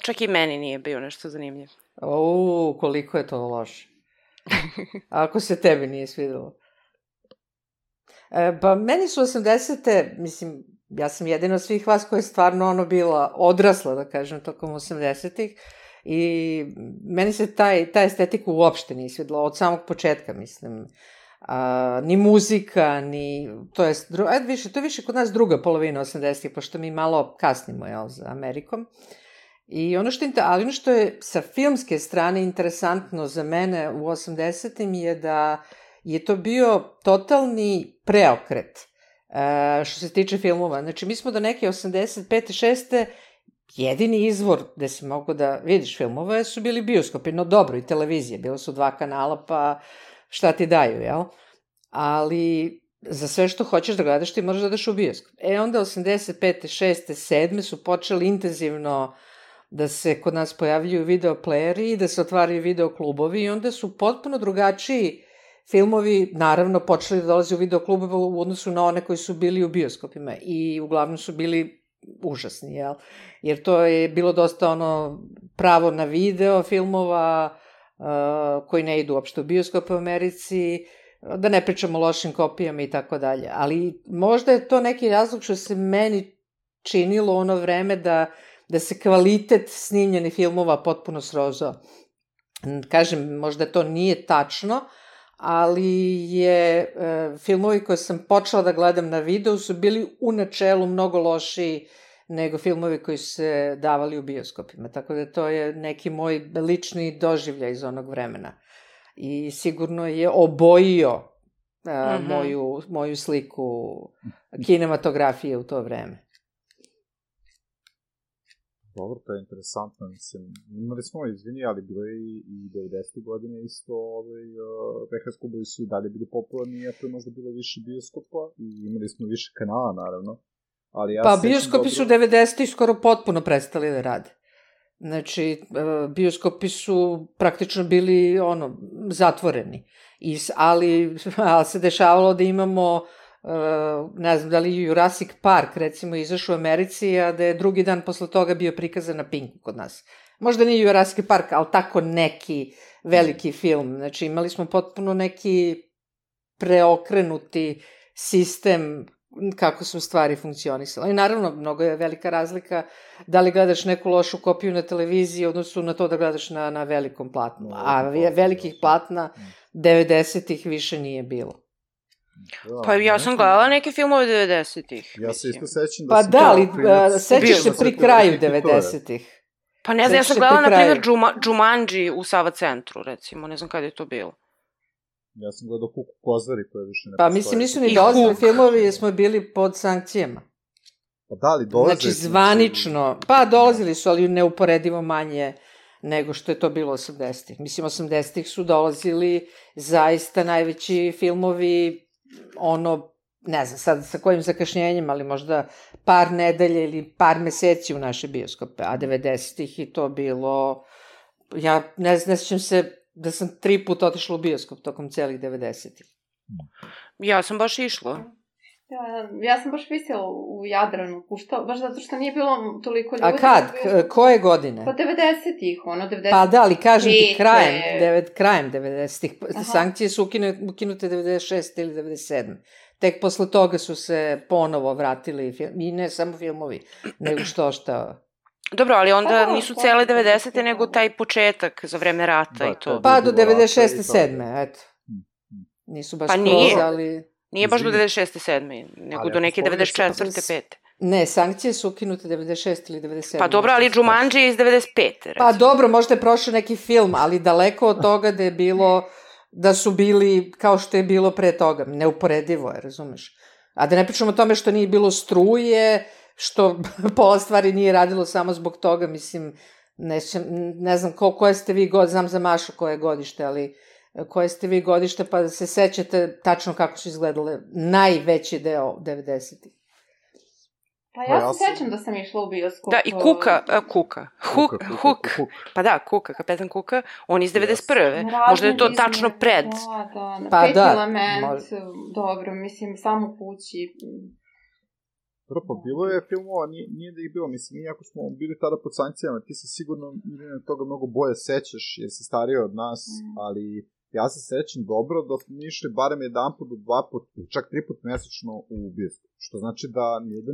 čak i meni nije bio nešto zanimljiv. Koliko je to loše. Ako se tebi nije svidelo. Pa meni su 80-te, mislim, ja sam jedina od svih vas koja je stvarno bila odrasla, da kažem, tokom 80-ih i meni se ta estetika uopšte nije svidela, od samog početka, mislim. Ni muzika, ni... To je više kod nas druga polovina 80-ih, pošto mi malo kasnimo, za Amerikom. I ono što je sa filmske strane interesantno za mene u 80-im je da je to bio totalni preokret što se tiče filmova. Znači, mi smo do neke 85. 6. jedini izvor gde si mogu da vidiš filmove su bili bioskopi, no dobro, i televizije. Bilo su 2 kanala, pa šta ti daju, jel? Ali za sve što hoćeš da gledaš, ti moraš da daš u bioskop. Onda 85. 6. 7. su počeli intenzivno da se kod nas pojavljuju videoplayeri i da se otvaraju videoklubovi i onda su potpuno drugačiji filmovi, naravno, počeli da dolaze u videoklubove u odnosu na one koji su bili u bioskopima i uglavnom su bili užasni, jel? Jer to je bilo dosta pravo na video filmova koji ne idu uopšte u bioskop u Americi, da ne pričamo o lošim kopijama i tako dalje. Ali možda je to neki razlog što se meni činilo ono vreme da se kvalitet snimljenih filmova potpuno srozao. Kažem, možda to nije tačno, ali je filmovi koje sam počela da gledam na videu su bili u načelu mnogo lošiji nego filmovi koji su se davali u bioskopima. Tako da to je neki moj lični doživljaj iz onog vremena. I sigurno je obojio moju sliku kinematografije u to vreme. Dobro, to je interesantno, mislim, imali smo, izvini, ali bilo je i 90. godine isto, VHS klubovi su i dalje bili popularni, iako je možda bilo više bioskopa i imali smo više kanala, naravno. Pa bioskopi su 90. skoro potpuno prestali da rade. Znači, bioskopi su praktično bili, zatvoreni. Ali se dešavalo da imamo... ne znam da li Jurassic Park recimo izašao u Americi, a da je drugi dan posle toga bio prikazan na Pinku kod nas. Možda nije Jurassic Park, ali tako neki veliki film. Znači imali smo potpuno neki preokrenuti sistem kako su stvari funkcionisale. I naravno, mnogo je velika razlika da li gledaš neku lošu kopiju na televiziji odnosno na to da gledaš na velikom platnu. A velikih platna 90-ih više nije bilo. Pa ja sam gledala neke filmove 90-ih. Ja se isto sećam da sam... Pa da, ali sećaš se pri kraju 90-ih. Pa ne znam, ja sam gledala, na primjer, Jumanji u Sava centru, recimo. Ne znam kada je to bilo. Ja sam gledao Kuku Kozari, koje više ne postoje. Pa mislim, nisu ni dolazili filmovi jer smo bili pod sankcijama. Pa da li dolazili? Znači, zvanično. Pa dolazili su, ali neuporedivo manje nego što je to bilo 80-ih. Mislim, 80-ih su dolazili zaista najveći filmovi, ne znam sad sa kojim zakašnjenjem, ali možda par nedelje ili par meseci u naše bioskope, a 90-ih i to bilo, ja ne sjećam se da sam 3 puta otišla u bioskop tokom celih 90-ih. Ja sam baš išla. Ja sam baš visela u Jadranu, baš zato što nije bilo toliko ljudi. A kad? Koje godine? Pa 90-ih, 90-ih. Pa da, ali kažem ti, krajem 90-ih. Sankcije su ukinute 96 ili 97. Tek posle toga su se ponovo vratili, i ne samo filmovi, nego šta... Dobro, ali onda nisu cele 90-te, nego taj početak za vreme rata i to. Pa do 96. 7. eto. Nisu baš skroz, ali... Nije baš do 96. 7. nego do neke 94. 5. Ne, sankcije su ukinute 96 ili 97. Pa dobro, ali Jumanji je iz 95. Pa dobro, možda je prošao neki film, ali daleko od toga da je bilo, da su bili kao što je bilo pre toga. Neuporedivo je, razumeš? A da ne pričamo o tome što nije bilo struje, što pola stvari nije radilo samo zbog toga, mislim, ne znam koje ste vi znam za Mašu koje godište, ali koje ste vi godište, pa da se sećate tačno kako su izgledale najveći deo 90-ih. Pa ja se sećam da sam išla u bioskop. Da, i Hook. Pa da, Kapetan Kuka, on iz 91. Možda je to tačno pred. Pa Peti element, dobro, mislim, samo kući. Dobro, pa bilo je filmova, nije da ih bilo, mislim, iako smo bili tada pod sankcijama, ti se sigurno toga mnogo bolje sećaš, jer si stariji od nas, ali ja se sećam dobro da smo išli barem 1 put do 2 put, čak 3 put mesečno u bioskop, što znači da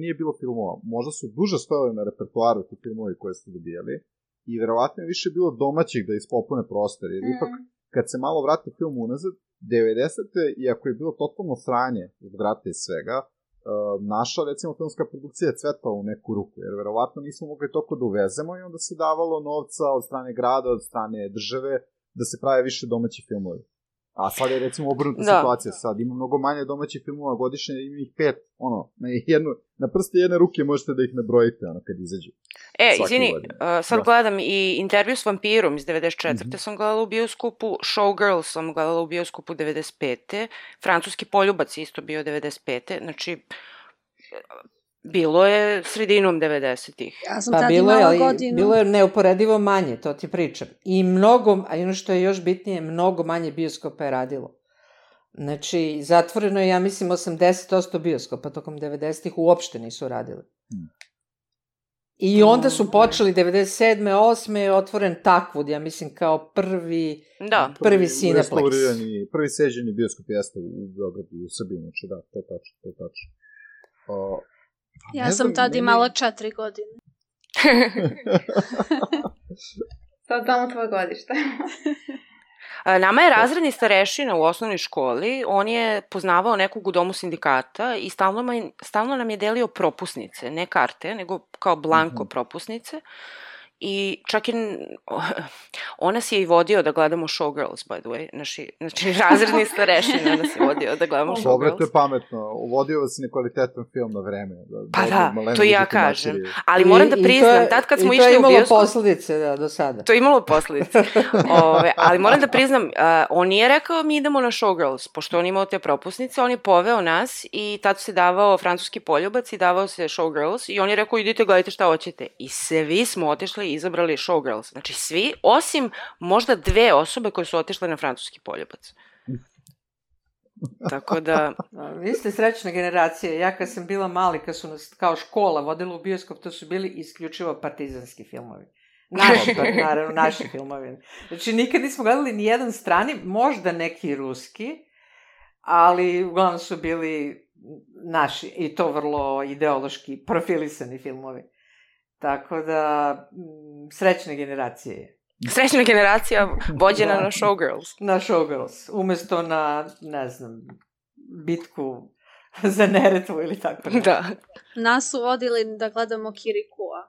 nije bilo filmova, možda su duže stojali na repertoaru ti filmovi koje ste dobijali i verovatno je više bilo domaćih da ispopune prostor, jer ipak kad se malo vrati film unazad, 90-te, iako je bilo totalno sranje od vrata i svega, naša, recimo, filmska produkcija je cvetala u neku ruku, jer verovatno nismo mogli toliko da uvezemo i onda se davalo novca od strane grada, od strane države, da se prave više domaći filmovi. A sad je, recimo, obrnuta situacija. Sad ima mnogo manje domaćih filmova godišnje, ima ih 5, na prste jedne ruke možete da ih nabrojite, kad izađu. Izvini, sad gledam i Intervju s vampirom iz 94. sam gledala u bioskopu, Showgirls sam gledala u bioskopu 95. Francuski poljubac isto bio 95. Znači, bilo je sredinom 90-ih. Ja sam tad imala godinu. Bilo je neuporedivo manje, to ti pričam. I mnogo, a ono što je još bitnije, mnogo manje bioskopa je radilo. Znači, zatvoreno je, ja mislim, 80% bioskopa tokom 90-ih uopšte nisu radili. I onda su počeli 97. 8. je otvoren Takwood, ja mislim, kao prvi Cineplex. Prvi seđeni bioskop jeste u Beogradu, u Srbiji, znači da, to je tačno. Ja sam tad imala 4 godine. Sad damo tvoje godište. Nama je razredni starešina u osnovnoj školi, on je poznavao nekog u domu sindikata i stalno nam je delio propusnice, ne karte, nego kao blanko propusnice. I čak i on nas je i vodio da gledamo Showgirls, by the way. Znači, razredni starešina nas je vodio da gledamo Showgirls. Dobro, to je pametno. Uvodio vas i nekvalitetan film na vreme. Pa da, to ja kažem. Ali moram da priznam, tad kad smo išli u bioskop... I to je imalo posledice do sada. To je imalo posledice. Ali moram da priznam, on nije rekao mi idemo na Showgirls, pošto on imao te propusnice, on je poveo nas i tad se davao francuski poljubac i davao se Showgirls i on je rekao idite gledajte šta hoćete. I svi smo otišli izabrali Showgirls. Znači svi, osim možda 2 osobe koje su otišle na francuski poljubac. Tako da... Vi ste srećna generacija. Ja kad sam bila mali, kad su nas kao škola vodila u bioskop, to su bili isključivo partizanski filmovi. Naravno, naši filmovi. Znači nikad nismo gledali ni jedan strani, možda neki ruski, ali uglavnom su bili naši i to vrlo ideološki profilisani filmovi. Tako da, srećne generacije je. Srećna generacija vođena na Showgirls. Na Showgirls, umesto na, ne znam, bitku za Neretvu ili tako. Da. Nas su vodili da gledamo Kirikua.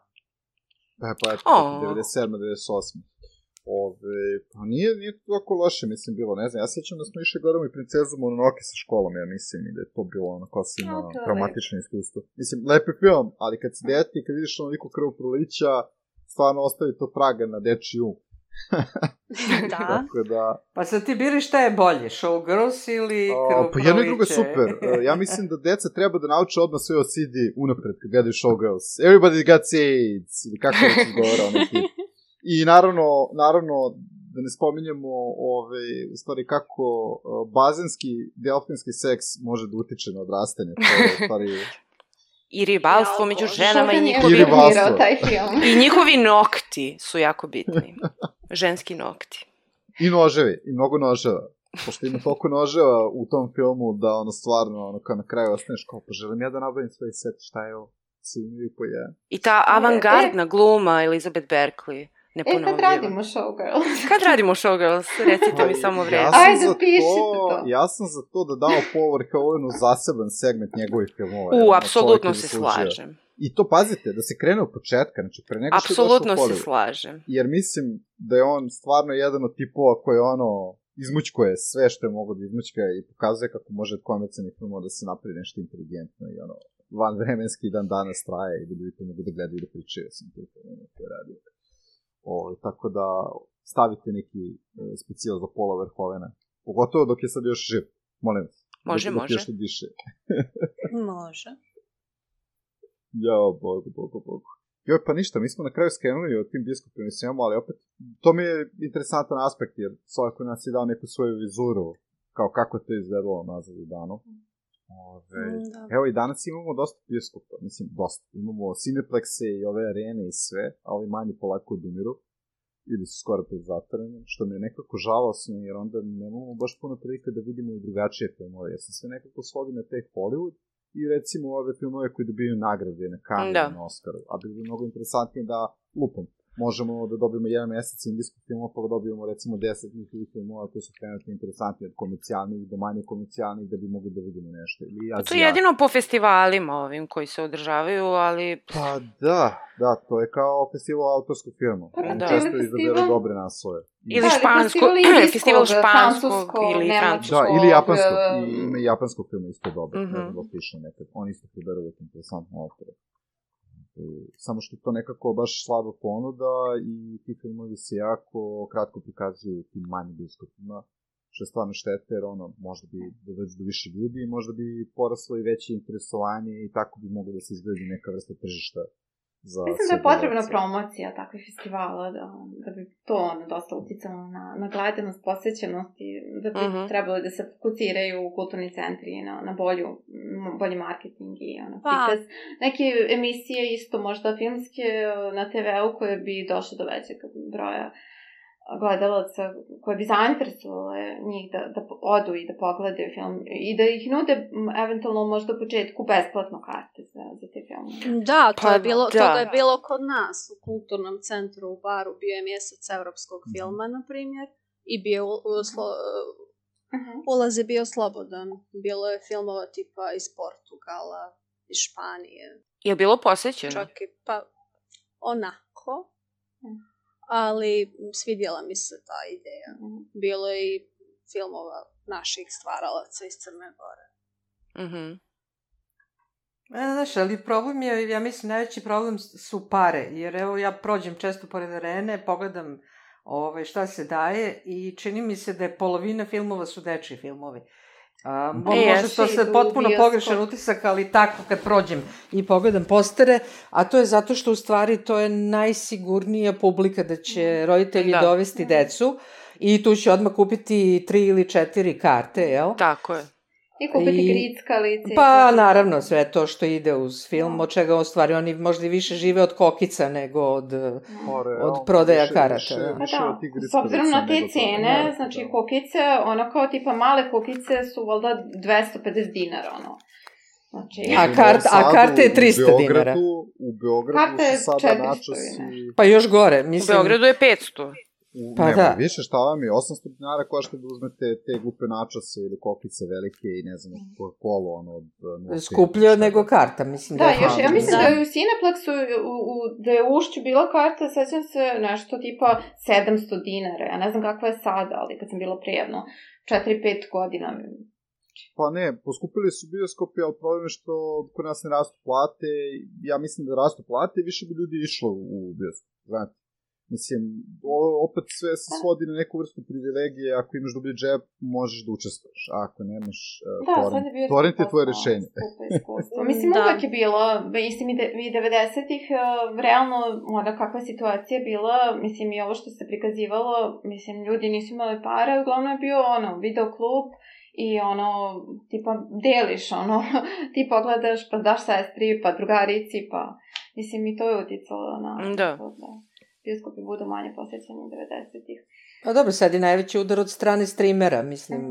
Pa eto, 97. 98. Pa nije tako loše, mislim, bilo, ne znam, ja sjećam da smo išli gledamo i Princezu Mononoke sa školom, ja mislim, i da je to bilo onako silno traumatično iskustvo. Mislim, lepi film, ali kad si dete i kad vidiš onoliko krvoprolića, stvarno ostavi to traga na dečji um. Da. Tako da... Pa sad ti biri šta je bolje, Showgirls ili Krvokroviće? Pa jedno i drugo je super. Ja mislim da deca treba da nauče odmah sve od CD unapred kad gledaju Showgirls. Everybody got AIDS, ili kako je se govora neki. I naravno, da ne spominjemo u stvari kako bazenski, delfinski seks može da utiče na odrastanje. To je u stvari... I ribalstvo među ženama i njihovi nokti su jako bitni. Ženski nokti. I noževi, i mnogo noževa. Pošto ima toliko noževa u tom filmu da ono stvarno, kao na kraju ostaneš kao, pa želim ja da nabavim svoj set, šta je ovo? Svi imaju po jedan. I ta avangardna gluma Elizabeth Berkley. Kad radimo Showgirls? Kad radimo Showgirls? Recite mi samo vreme. Ajde, pišite to. Ja sam za to da dao Power Cohenu zaseban segment njegovih filmova. Apsolutno se slažem. I to pazite, da se krene od početka, znači pre nego što je došao Apsolutno se slažem. Jer mislim da je on stvarno jedan od tipova koji izmućkuje sve što je mogo da izmućka i pokazuje kako može od komercijalnih filmova da se napravi nešto inteligentno i vanvremenski dan danas traje i da ljudi to mogu da gledaju i da pričaju sam te filmove koje radio. Tako da stavite neki specijal za Paula Verhoevena. Pogotovo dok je sad još živ. Molim vas. Može. Dok još ne diše. Može. Jao, Bogu. Joj, pa ništa, mi smo na kraju skrenuli od tim biskupima i svemu, ali opet, to mi je interesantan aspekt, jer Sojko nas je dao neku svoju vizuru, kao kako je to izgledalo nazad u danu. Evo i danas imamo dosta bioskopa, mislim dosta, imamo Cineplexe i ove arene i sve, a ovi manji polako odumiru, ili su skoro pred zatvaranjem, što mi je nekako žalosno, jer onda nemamo baš puno prilike da vidimo i drugačije filmove, jer se sve nekako svodi na te Hollywood i recimo ove filmove koji dobiju nagrade na Cannes i na Oscaru, a bi bilo mnogo interesantnije da lupom. Možemo da dobijemo jedan mesec indijskih filmova, pa da dobijemo recimo 10 njihovih filmova koji su trenutno interesantni od komercijalnih do manje komercijalnih da bi mogli da vidimo nešto. To je jedino po festivalima ovim koji se održavaju, ali... Pa da, to je kao festival autorskog filma. Oni često izaberu dobre naslove. Ili festival španskog ili francuskog. Da, ili japanskog. Ima i japanskog filma isto dobro. Oni isto priberu uvijek interesantne autore. Samo što to nekako baš slaba ponuda i ti filmovi se jako kratko prikazuju tim manjim bioskopima, što je stvarno štete, jer možda bi da dođe do više ljudi, možda bi poraslo i veće interesovanje i tako bi moglo da se izgledi neka vrsta tržišta. Mislim da je potrebna promocija takvih festivala, da bi to dosta uticalo na gledanost, posvećenost i da bi trebalo da se fokusiraju kulturni centri na bolji marketing i prikaz. Neke emisije isto možda filmske na TV-u koje bi došle do većeg broja gledalaca koje bi zainteresovale njih da odu i da pogledaju film i da ih nude eventualno možda u početku besplatno karte za te filmove. Da, toga je bilo kod nas u kulturnom centru u Baru, bio je mjesec evropskog filma, na primjer, i ulaz je bio slobodan. Bilo je filmova tipa iz Portugala, iz Španije. Je bilo posjećeno? Čak i onako. Ali svidjela mi se ta ideja. Bilo je i filmova naših stvaralaca iz Crne Gore. Znaš, ali problem je, ja mislim, najveći problem su pare, jer evo ja prođem često pored arene, pogledam šta se daje i čini mi se da je polovina filmova su dečji filmovi. Možda to sad potpuno pogrešan utisak, ali tako kad prođem i pogledam postere, a to je zato što u stvari to je najsigurnija publika da će roditelji dovesti decu i tu će odmah kupiti 3 ili 4 karte, jel? Tako je. I kupiti grickalice. Pa naravno sve to što ide uz film, od čega u stvari oni možda i više žive od kokica nego od prodaja karata. S obzirom na te cene, znači kokice, kao tipa male kokice su valjda 250 dinara, A karte je 300 dinara. U Beogradu su sada načasi... Pa još gore, mislim... U Beogradu je 500. Pa da. Više šta vam je, 800 dinara košta da uzmete te glupe načase ili kokice velike i ne znam, kolo, skuplje nego karta, mislim da je. Da, još, ja mislim da je u Cineplexu, da je u Ušću bila karta, sećam se nešto tipa 700 dinara, ja ne znam kakva je sada, ali kad sam bila prijevno, 4-5 godina. Pa ne, poskupili su bioskopi, ali problem je što kod nas ne rastu plate. Ja mislim da rastu plate i više bi ljudi išlo u bioskop, znate. Mislim, opet sve se svodi na neku vrstu privilegije, ako imaš dublji džep, možeš da učestvuješ, a ako nemaš torrent je tvoje rešenje. Mislim, uvek je bilo, mislim i 90-ih, realno, onda kakva situacija je bila, mislim i ovo što se prikazivalo, mislim, ljudi nisu imali para, uglavnom je bio, videoklub, i tipa, deliš, ti pogledaš, pa daš sestri, pa drugarici, pa, mislim, i to je uticalo na... Da. Bioskopi budu manje posjećani 90-ih. Pa dobro, sad je najveći udar od strane streamera, mislim.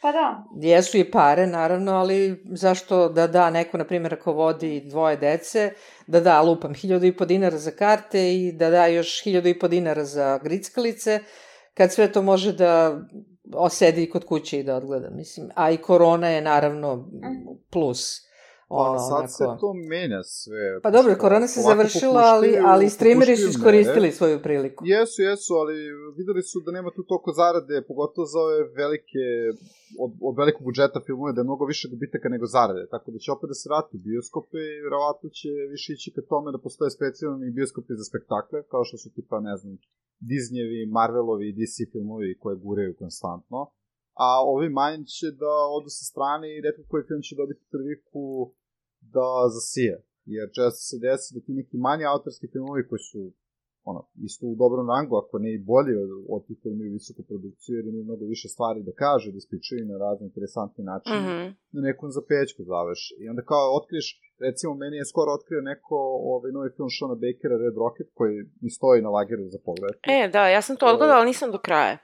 Pa da. Jesu i pare, naravno, ali zašto da neko, na primjer, ako vodi 2 dece, da lupam 1.500 dinara za karte i da još 1.500 dinara za grickalice, kad sve to može da osedi kod kuće i da odgleda, mislim. A i korona je, naravno, plus. Sad se to menja sve. Pa dobro, korona se završila, ali streameri su iskoristili svoju priliku. Jesu, ali videli su da nema tu toliko zarade, pogotovo za ove velike, od velikog budžeta filmove, da je mnogo više gubitaka nego zarade, tako da će opet da se vrati u bioskope i vjerovatno će više ići ka tome da postoje specijalni bioskopi za spektakle, kao što su tipa, ne znam, Disneyevi, Marvelovi i DC filmovi koje guraju konstantno, a ovi manji će da odu sa strane i retko koji film će dobiti priliku da zasije, jer često se desi da ti neki manji autorski filmovi koji su isto u dobrom rangu, ako ne i bolji od tih koji imaju visoku produkciju, jer imaju mnogo više stvari da kaže, da ispričaju na razne interesantne načine, na nekom zapećku završi. I onda kao otkriješ, recimo meni je skoro otkrio neko novi film Shona Bakera, Red Rocket, koji mi stoji na lageru za pogled. Da, ja sam to odgledala, ali nisam do kraja.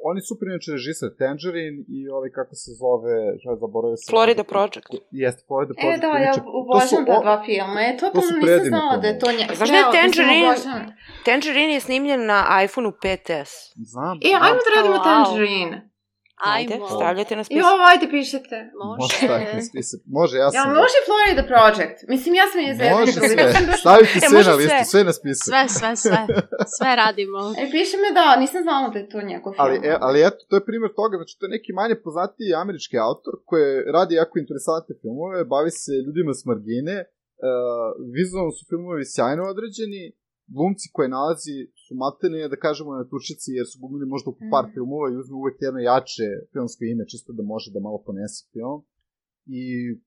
Oni su prinače režisar Tangerine i kako se zove, zaboravio sam... Florida Project. Jeste, Florida Project. Da, ja obožavam ta 2 filma. To nisam znala da je to njega. Znaš da je Tangerine je snimljen na iPhone-u 5S. Znam. Ajmo da radimo Tangerine. Ajde, stavljate na spisak. Ajde, pišete. Može, ja sam... Može Florida Project. Mislim, ja sam je zezna. Može sve. Stavite sve na listu, sve na spisak. Sve radimo. Piše me da, nisam znala da je to njegov film. Ali eto, to je primjer toga, znači to je neki manje poznatiji američki autor koji radi jako interesantne filmove, bavi se ljudima s margine, vizualno su filmovi sjajno određeni, glumci koje nalazi su maltene, da kažemo, na tučici, jer su glumili možda oko par filmova i uzme uvek jedno jače filmsko ime, čisto da može da malo ponese film, i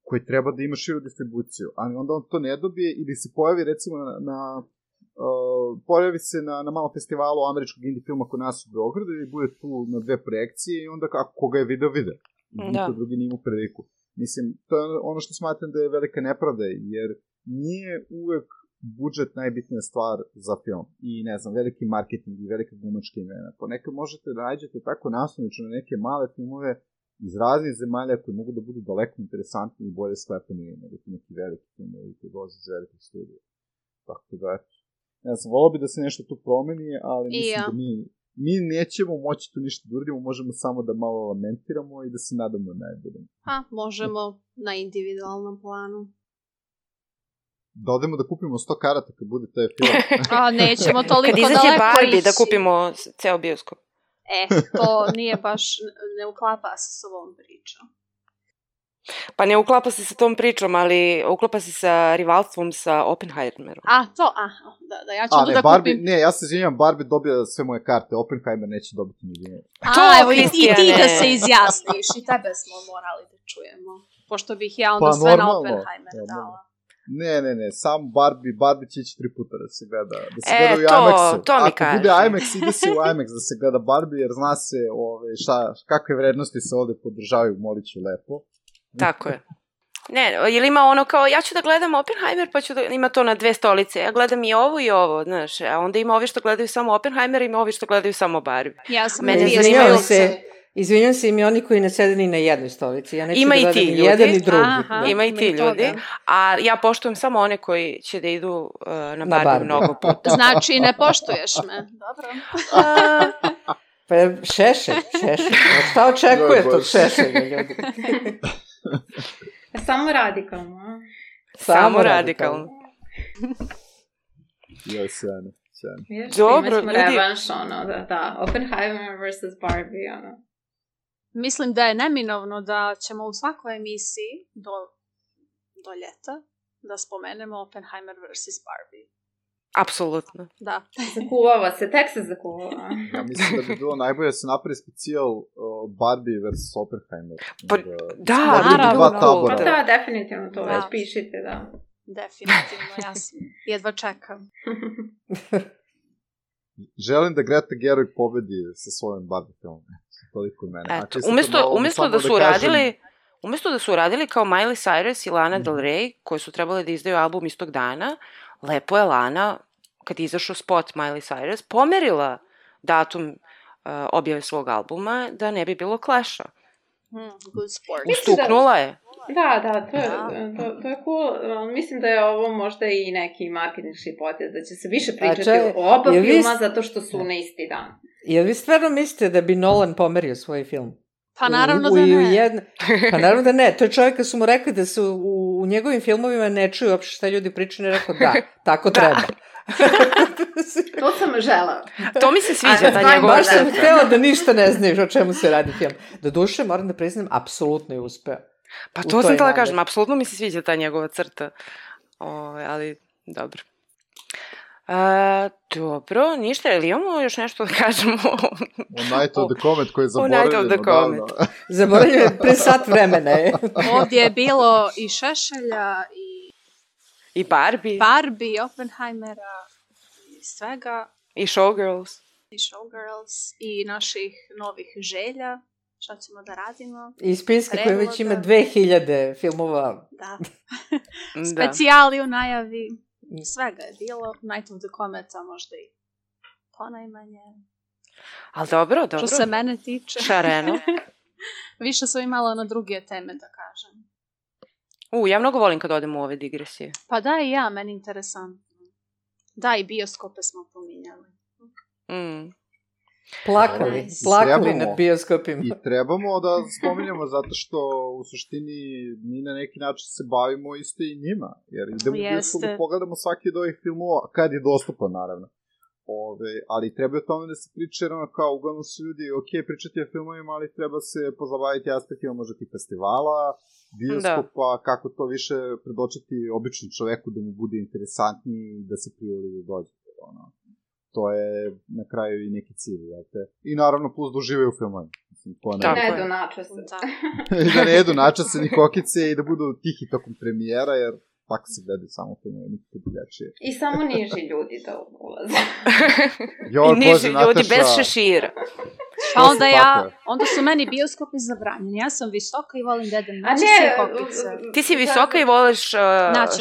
koji treba da ima širu distribuciju, ali onda on to ne dobije ili se pojavi, recimo, pojavi se na malom festivalu američkog indie filma kod nas u Beogradu i bude tu na 2 projekcije i onda koga je video, vide. Niko drugi nije imao priliku. Mislim, to je ono što smatram da je velika nepravda, jer nije uvek budžet najbitnija stvar za film i ne znam, veliki marketing i velika glumačka imena. Ponekad možete da nađete tako naslovnično na neke male filmove iz raznih zemalja koji mogu da budu daleko interesantni i bolje sklepani nego ti neki veliki filmovi koji dolaze iz velikih studija. Tako da, ne znam, volao bi da se nešto tu promeni, ali mislim da mi nećemo moći tu ništa da uradimo, možemo samo da malo lamentiramo i da se nadamo najboljem. Možemo na individualnom planu. Da odemo da kupimo 100 karata kad bude taj film. Nećemo toliko daleko ići. Kad izađe Barbie da kupimo ceo bioskop. To nije baš, ne uklapa se s ovom pričom. Pa ne uklapa se sa tom pričom, ali uklapa se sa rivalstvom sa Oppenheimerom. Da, ja ću da kupim. Ne, ja se izvinjam, Barbie dobija sve moje karte, Oppenheimer neće dobiti nijedne. Evo i ti da se izjasniš, i tebe smo morali da čujemo. Pošto bih ja onda sve na Oppenheimer dala. Ne, sam Barbie će ići 3 puta da se gleda u IMAX-u. To mi kaže. Ako bude IMAX, ide se u IMAX da se gleda Barbie, jer zna se kakve vrednosti se ovde podržavaju, molit ću lepo. Tako je. Ne, ili ima ono kao, ja ću da gledam Oppenheimer, pa ću da ima to na 2 stolice. Ja gledam i ovo, znaš, a onda ima ovi što gledaju samo Oppenheimer i ima ovi što gledaju samo Barbie. Ja sam Izvinjam se, ima oni koji ne sede ni na jednoj stolici. Ja neću ima da gledam ni jedan ni drugi. Ima i ti ljudi. A ja poštujem samo one koji će da idu na Barbie mnogo puta. Znači, ne poštuješ me. Dobro. Pa Šešelj. Šta očekujete od Šešelja, ljudi? Samo radikalno. Samo radikalno. Joj, sjajno. Dobro, ljudi. Revanš, Oppenheimer vs. Barbie, mislim da je neminovno da ćemo u svakoj emisiji do ljeta da spomenemo Oppenheimer vs. Barbie. Apsolutno. Da. Zakuvava se, tek se zakuvava. Ja mislim da bi bilo najbolje da se napravi specijal Barbie vs. Oppenheimer. Da, naravno. Pa da, definitivno to već pišite, da. Definitivno, ja jedva čekam. Želim da Greta Gerwig pobedi sa svojim Barbie filmom. Toliko od mene. Eto, umjesto da su uradili kao Miley Cyrus i Lana Del Rey, koji su trebali da izdaju album istog dana, lepo je Lana, kad je izašao spot Miley Cyrus, pomerila datum objave svog albuma da ne bi bilo Clash-a. Good sport. Ustuknula je. Da, to je cool. Mislim da je ovo možda i neki marketinški potez, da će se više pričati o oba filma zato što su na isti dan. Jel vi stvarno mislite da bi Nolan pomerio svoj film? Pa naravno da ne. Pa naravno da ne. To je čovjek kad su mu rekli da se u njegovim filmovima ne čuju uopšte šta ljudi pričaju, ne rekao da, tako treba. To sam žela. To mi se sviđa, ta njegova baš sam htjela da ništa ne znaš o čemu se radi film. Doduše, moram da priznam, apsolutno je uspeo. Pa to sam htjela kažem, apsolutno mi se sviđa ta njegova crta. Ali, dobro. Dobro, ništa, ili imamo još nešto da kažemo? O Night of the Comet koji je zaboravljeno. Zaboravljeno je pre sat vremena. Ovdje je bilo i Šešelja i Barbie, Oppenheimera i svega. I Showgirls. I naših novih želja. Šta ćemo da radimo? I spinski koji već ima 2000 filmova. Da. Specijali u najavi. Svega je bilo. Night of the Cometa možda i ponajmanje. Ali dobro. Što se mene tiče. Šareno. Više sam imala na druge teme da kažem. Ja mnogo volim kad odem u ove digresije. Pa da, i ja, meni interesantno. Da, i bioskope smo pominjali. Plakali nad bioskopima. I trebamo da spominjamo zato što u suštini mi na neki način se bavimo isto i njima. Jer idemo u bioskop da pogledamo svaki od ovih filmova, kad je dostupan naravno. Ali treba o tome da se priča, jer kao uglavnom su ljudi, pričati o filmovima, ali treba se pozabaviti aspektima možda tih festivala, bioskopa, kako to više predočiti običnom čoveku da mu bude interesantniji i da se privoli da dođe. To je na kraju i neki cilj, jel te? I naravno plus da uživaju u filmovima. Da ne jedu načase. Da ne jedu načase ni kokice i da budu tihi tokom premijera, jer tako se gledaju samo filmove, nikako drugačije. I samo niži ljudi da ulaze. I niži ljudi bez šešira. Pa onda su meni bioskopi zabranjeni. Ja sam visoka i volim da jedem načase i kokice. Ti si visoka i voliš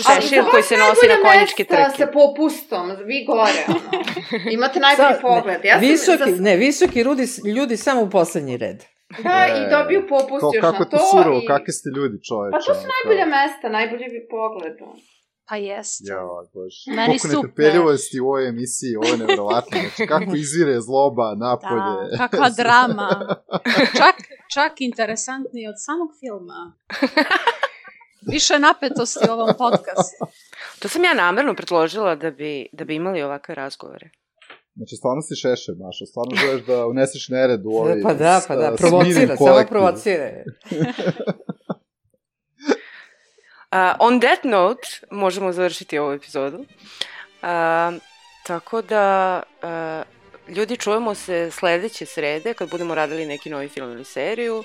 šešir koji se nosi na konjičke trke. Sa popustom, vi gore. Imate najbolji pogled. Visoki ljudi samo u poslednji red. Da, i dobiju popust još na to. Kako to surovo, kakvi ste ljudi, čoveče. Pa to su najbolja mesta, najbolji pogled. Pa jeste. Bože. Meni super. Koliko netrpeljivosti u ovoj emisiji, ovo je nevjerovatno. Znači, kako izvire zloba napolje. Da, kakva drama. Čak interesantnije od samog filma. Više napetosti u ovom podcastu. To sam ja namerno predložila da bi imali ovakve razgovore. Znači, stvarno si Šešelj, Mašo. Stvarno želiš da uneseš nered u ovaj... Pa da, provocira, samo provocira. On that note, možemo završiti ovu epizodu. Tako da, ljudi, čujemo se sledeće srede kad budemo radili neki novi film ili seriju.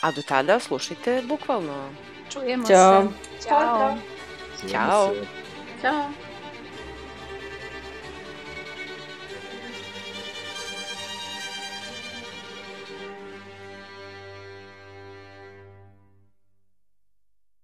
A do tada slušajte bukvalno. Čujemo se. Ćao. Ćao. Ćao.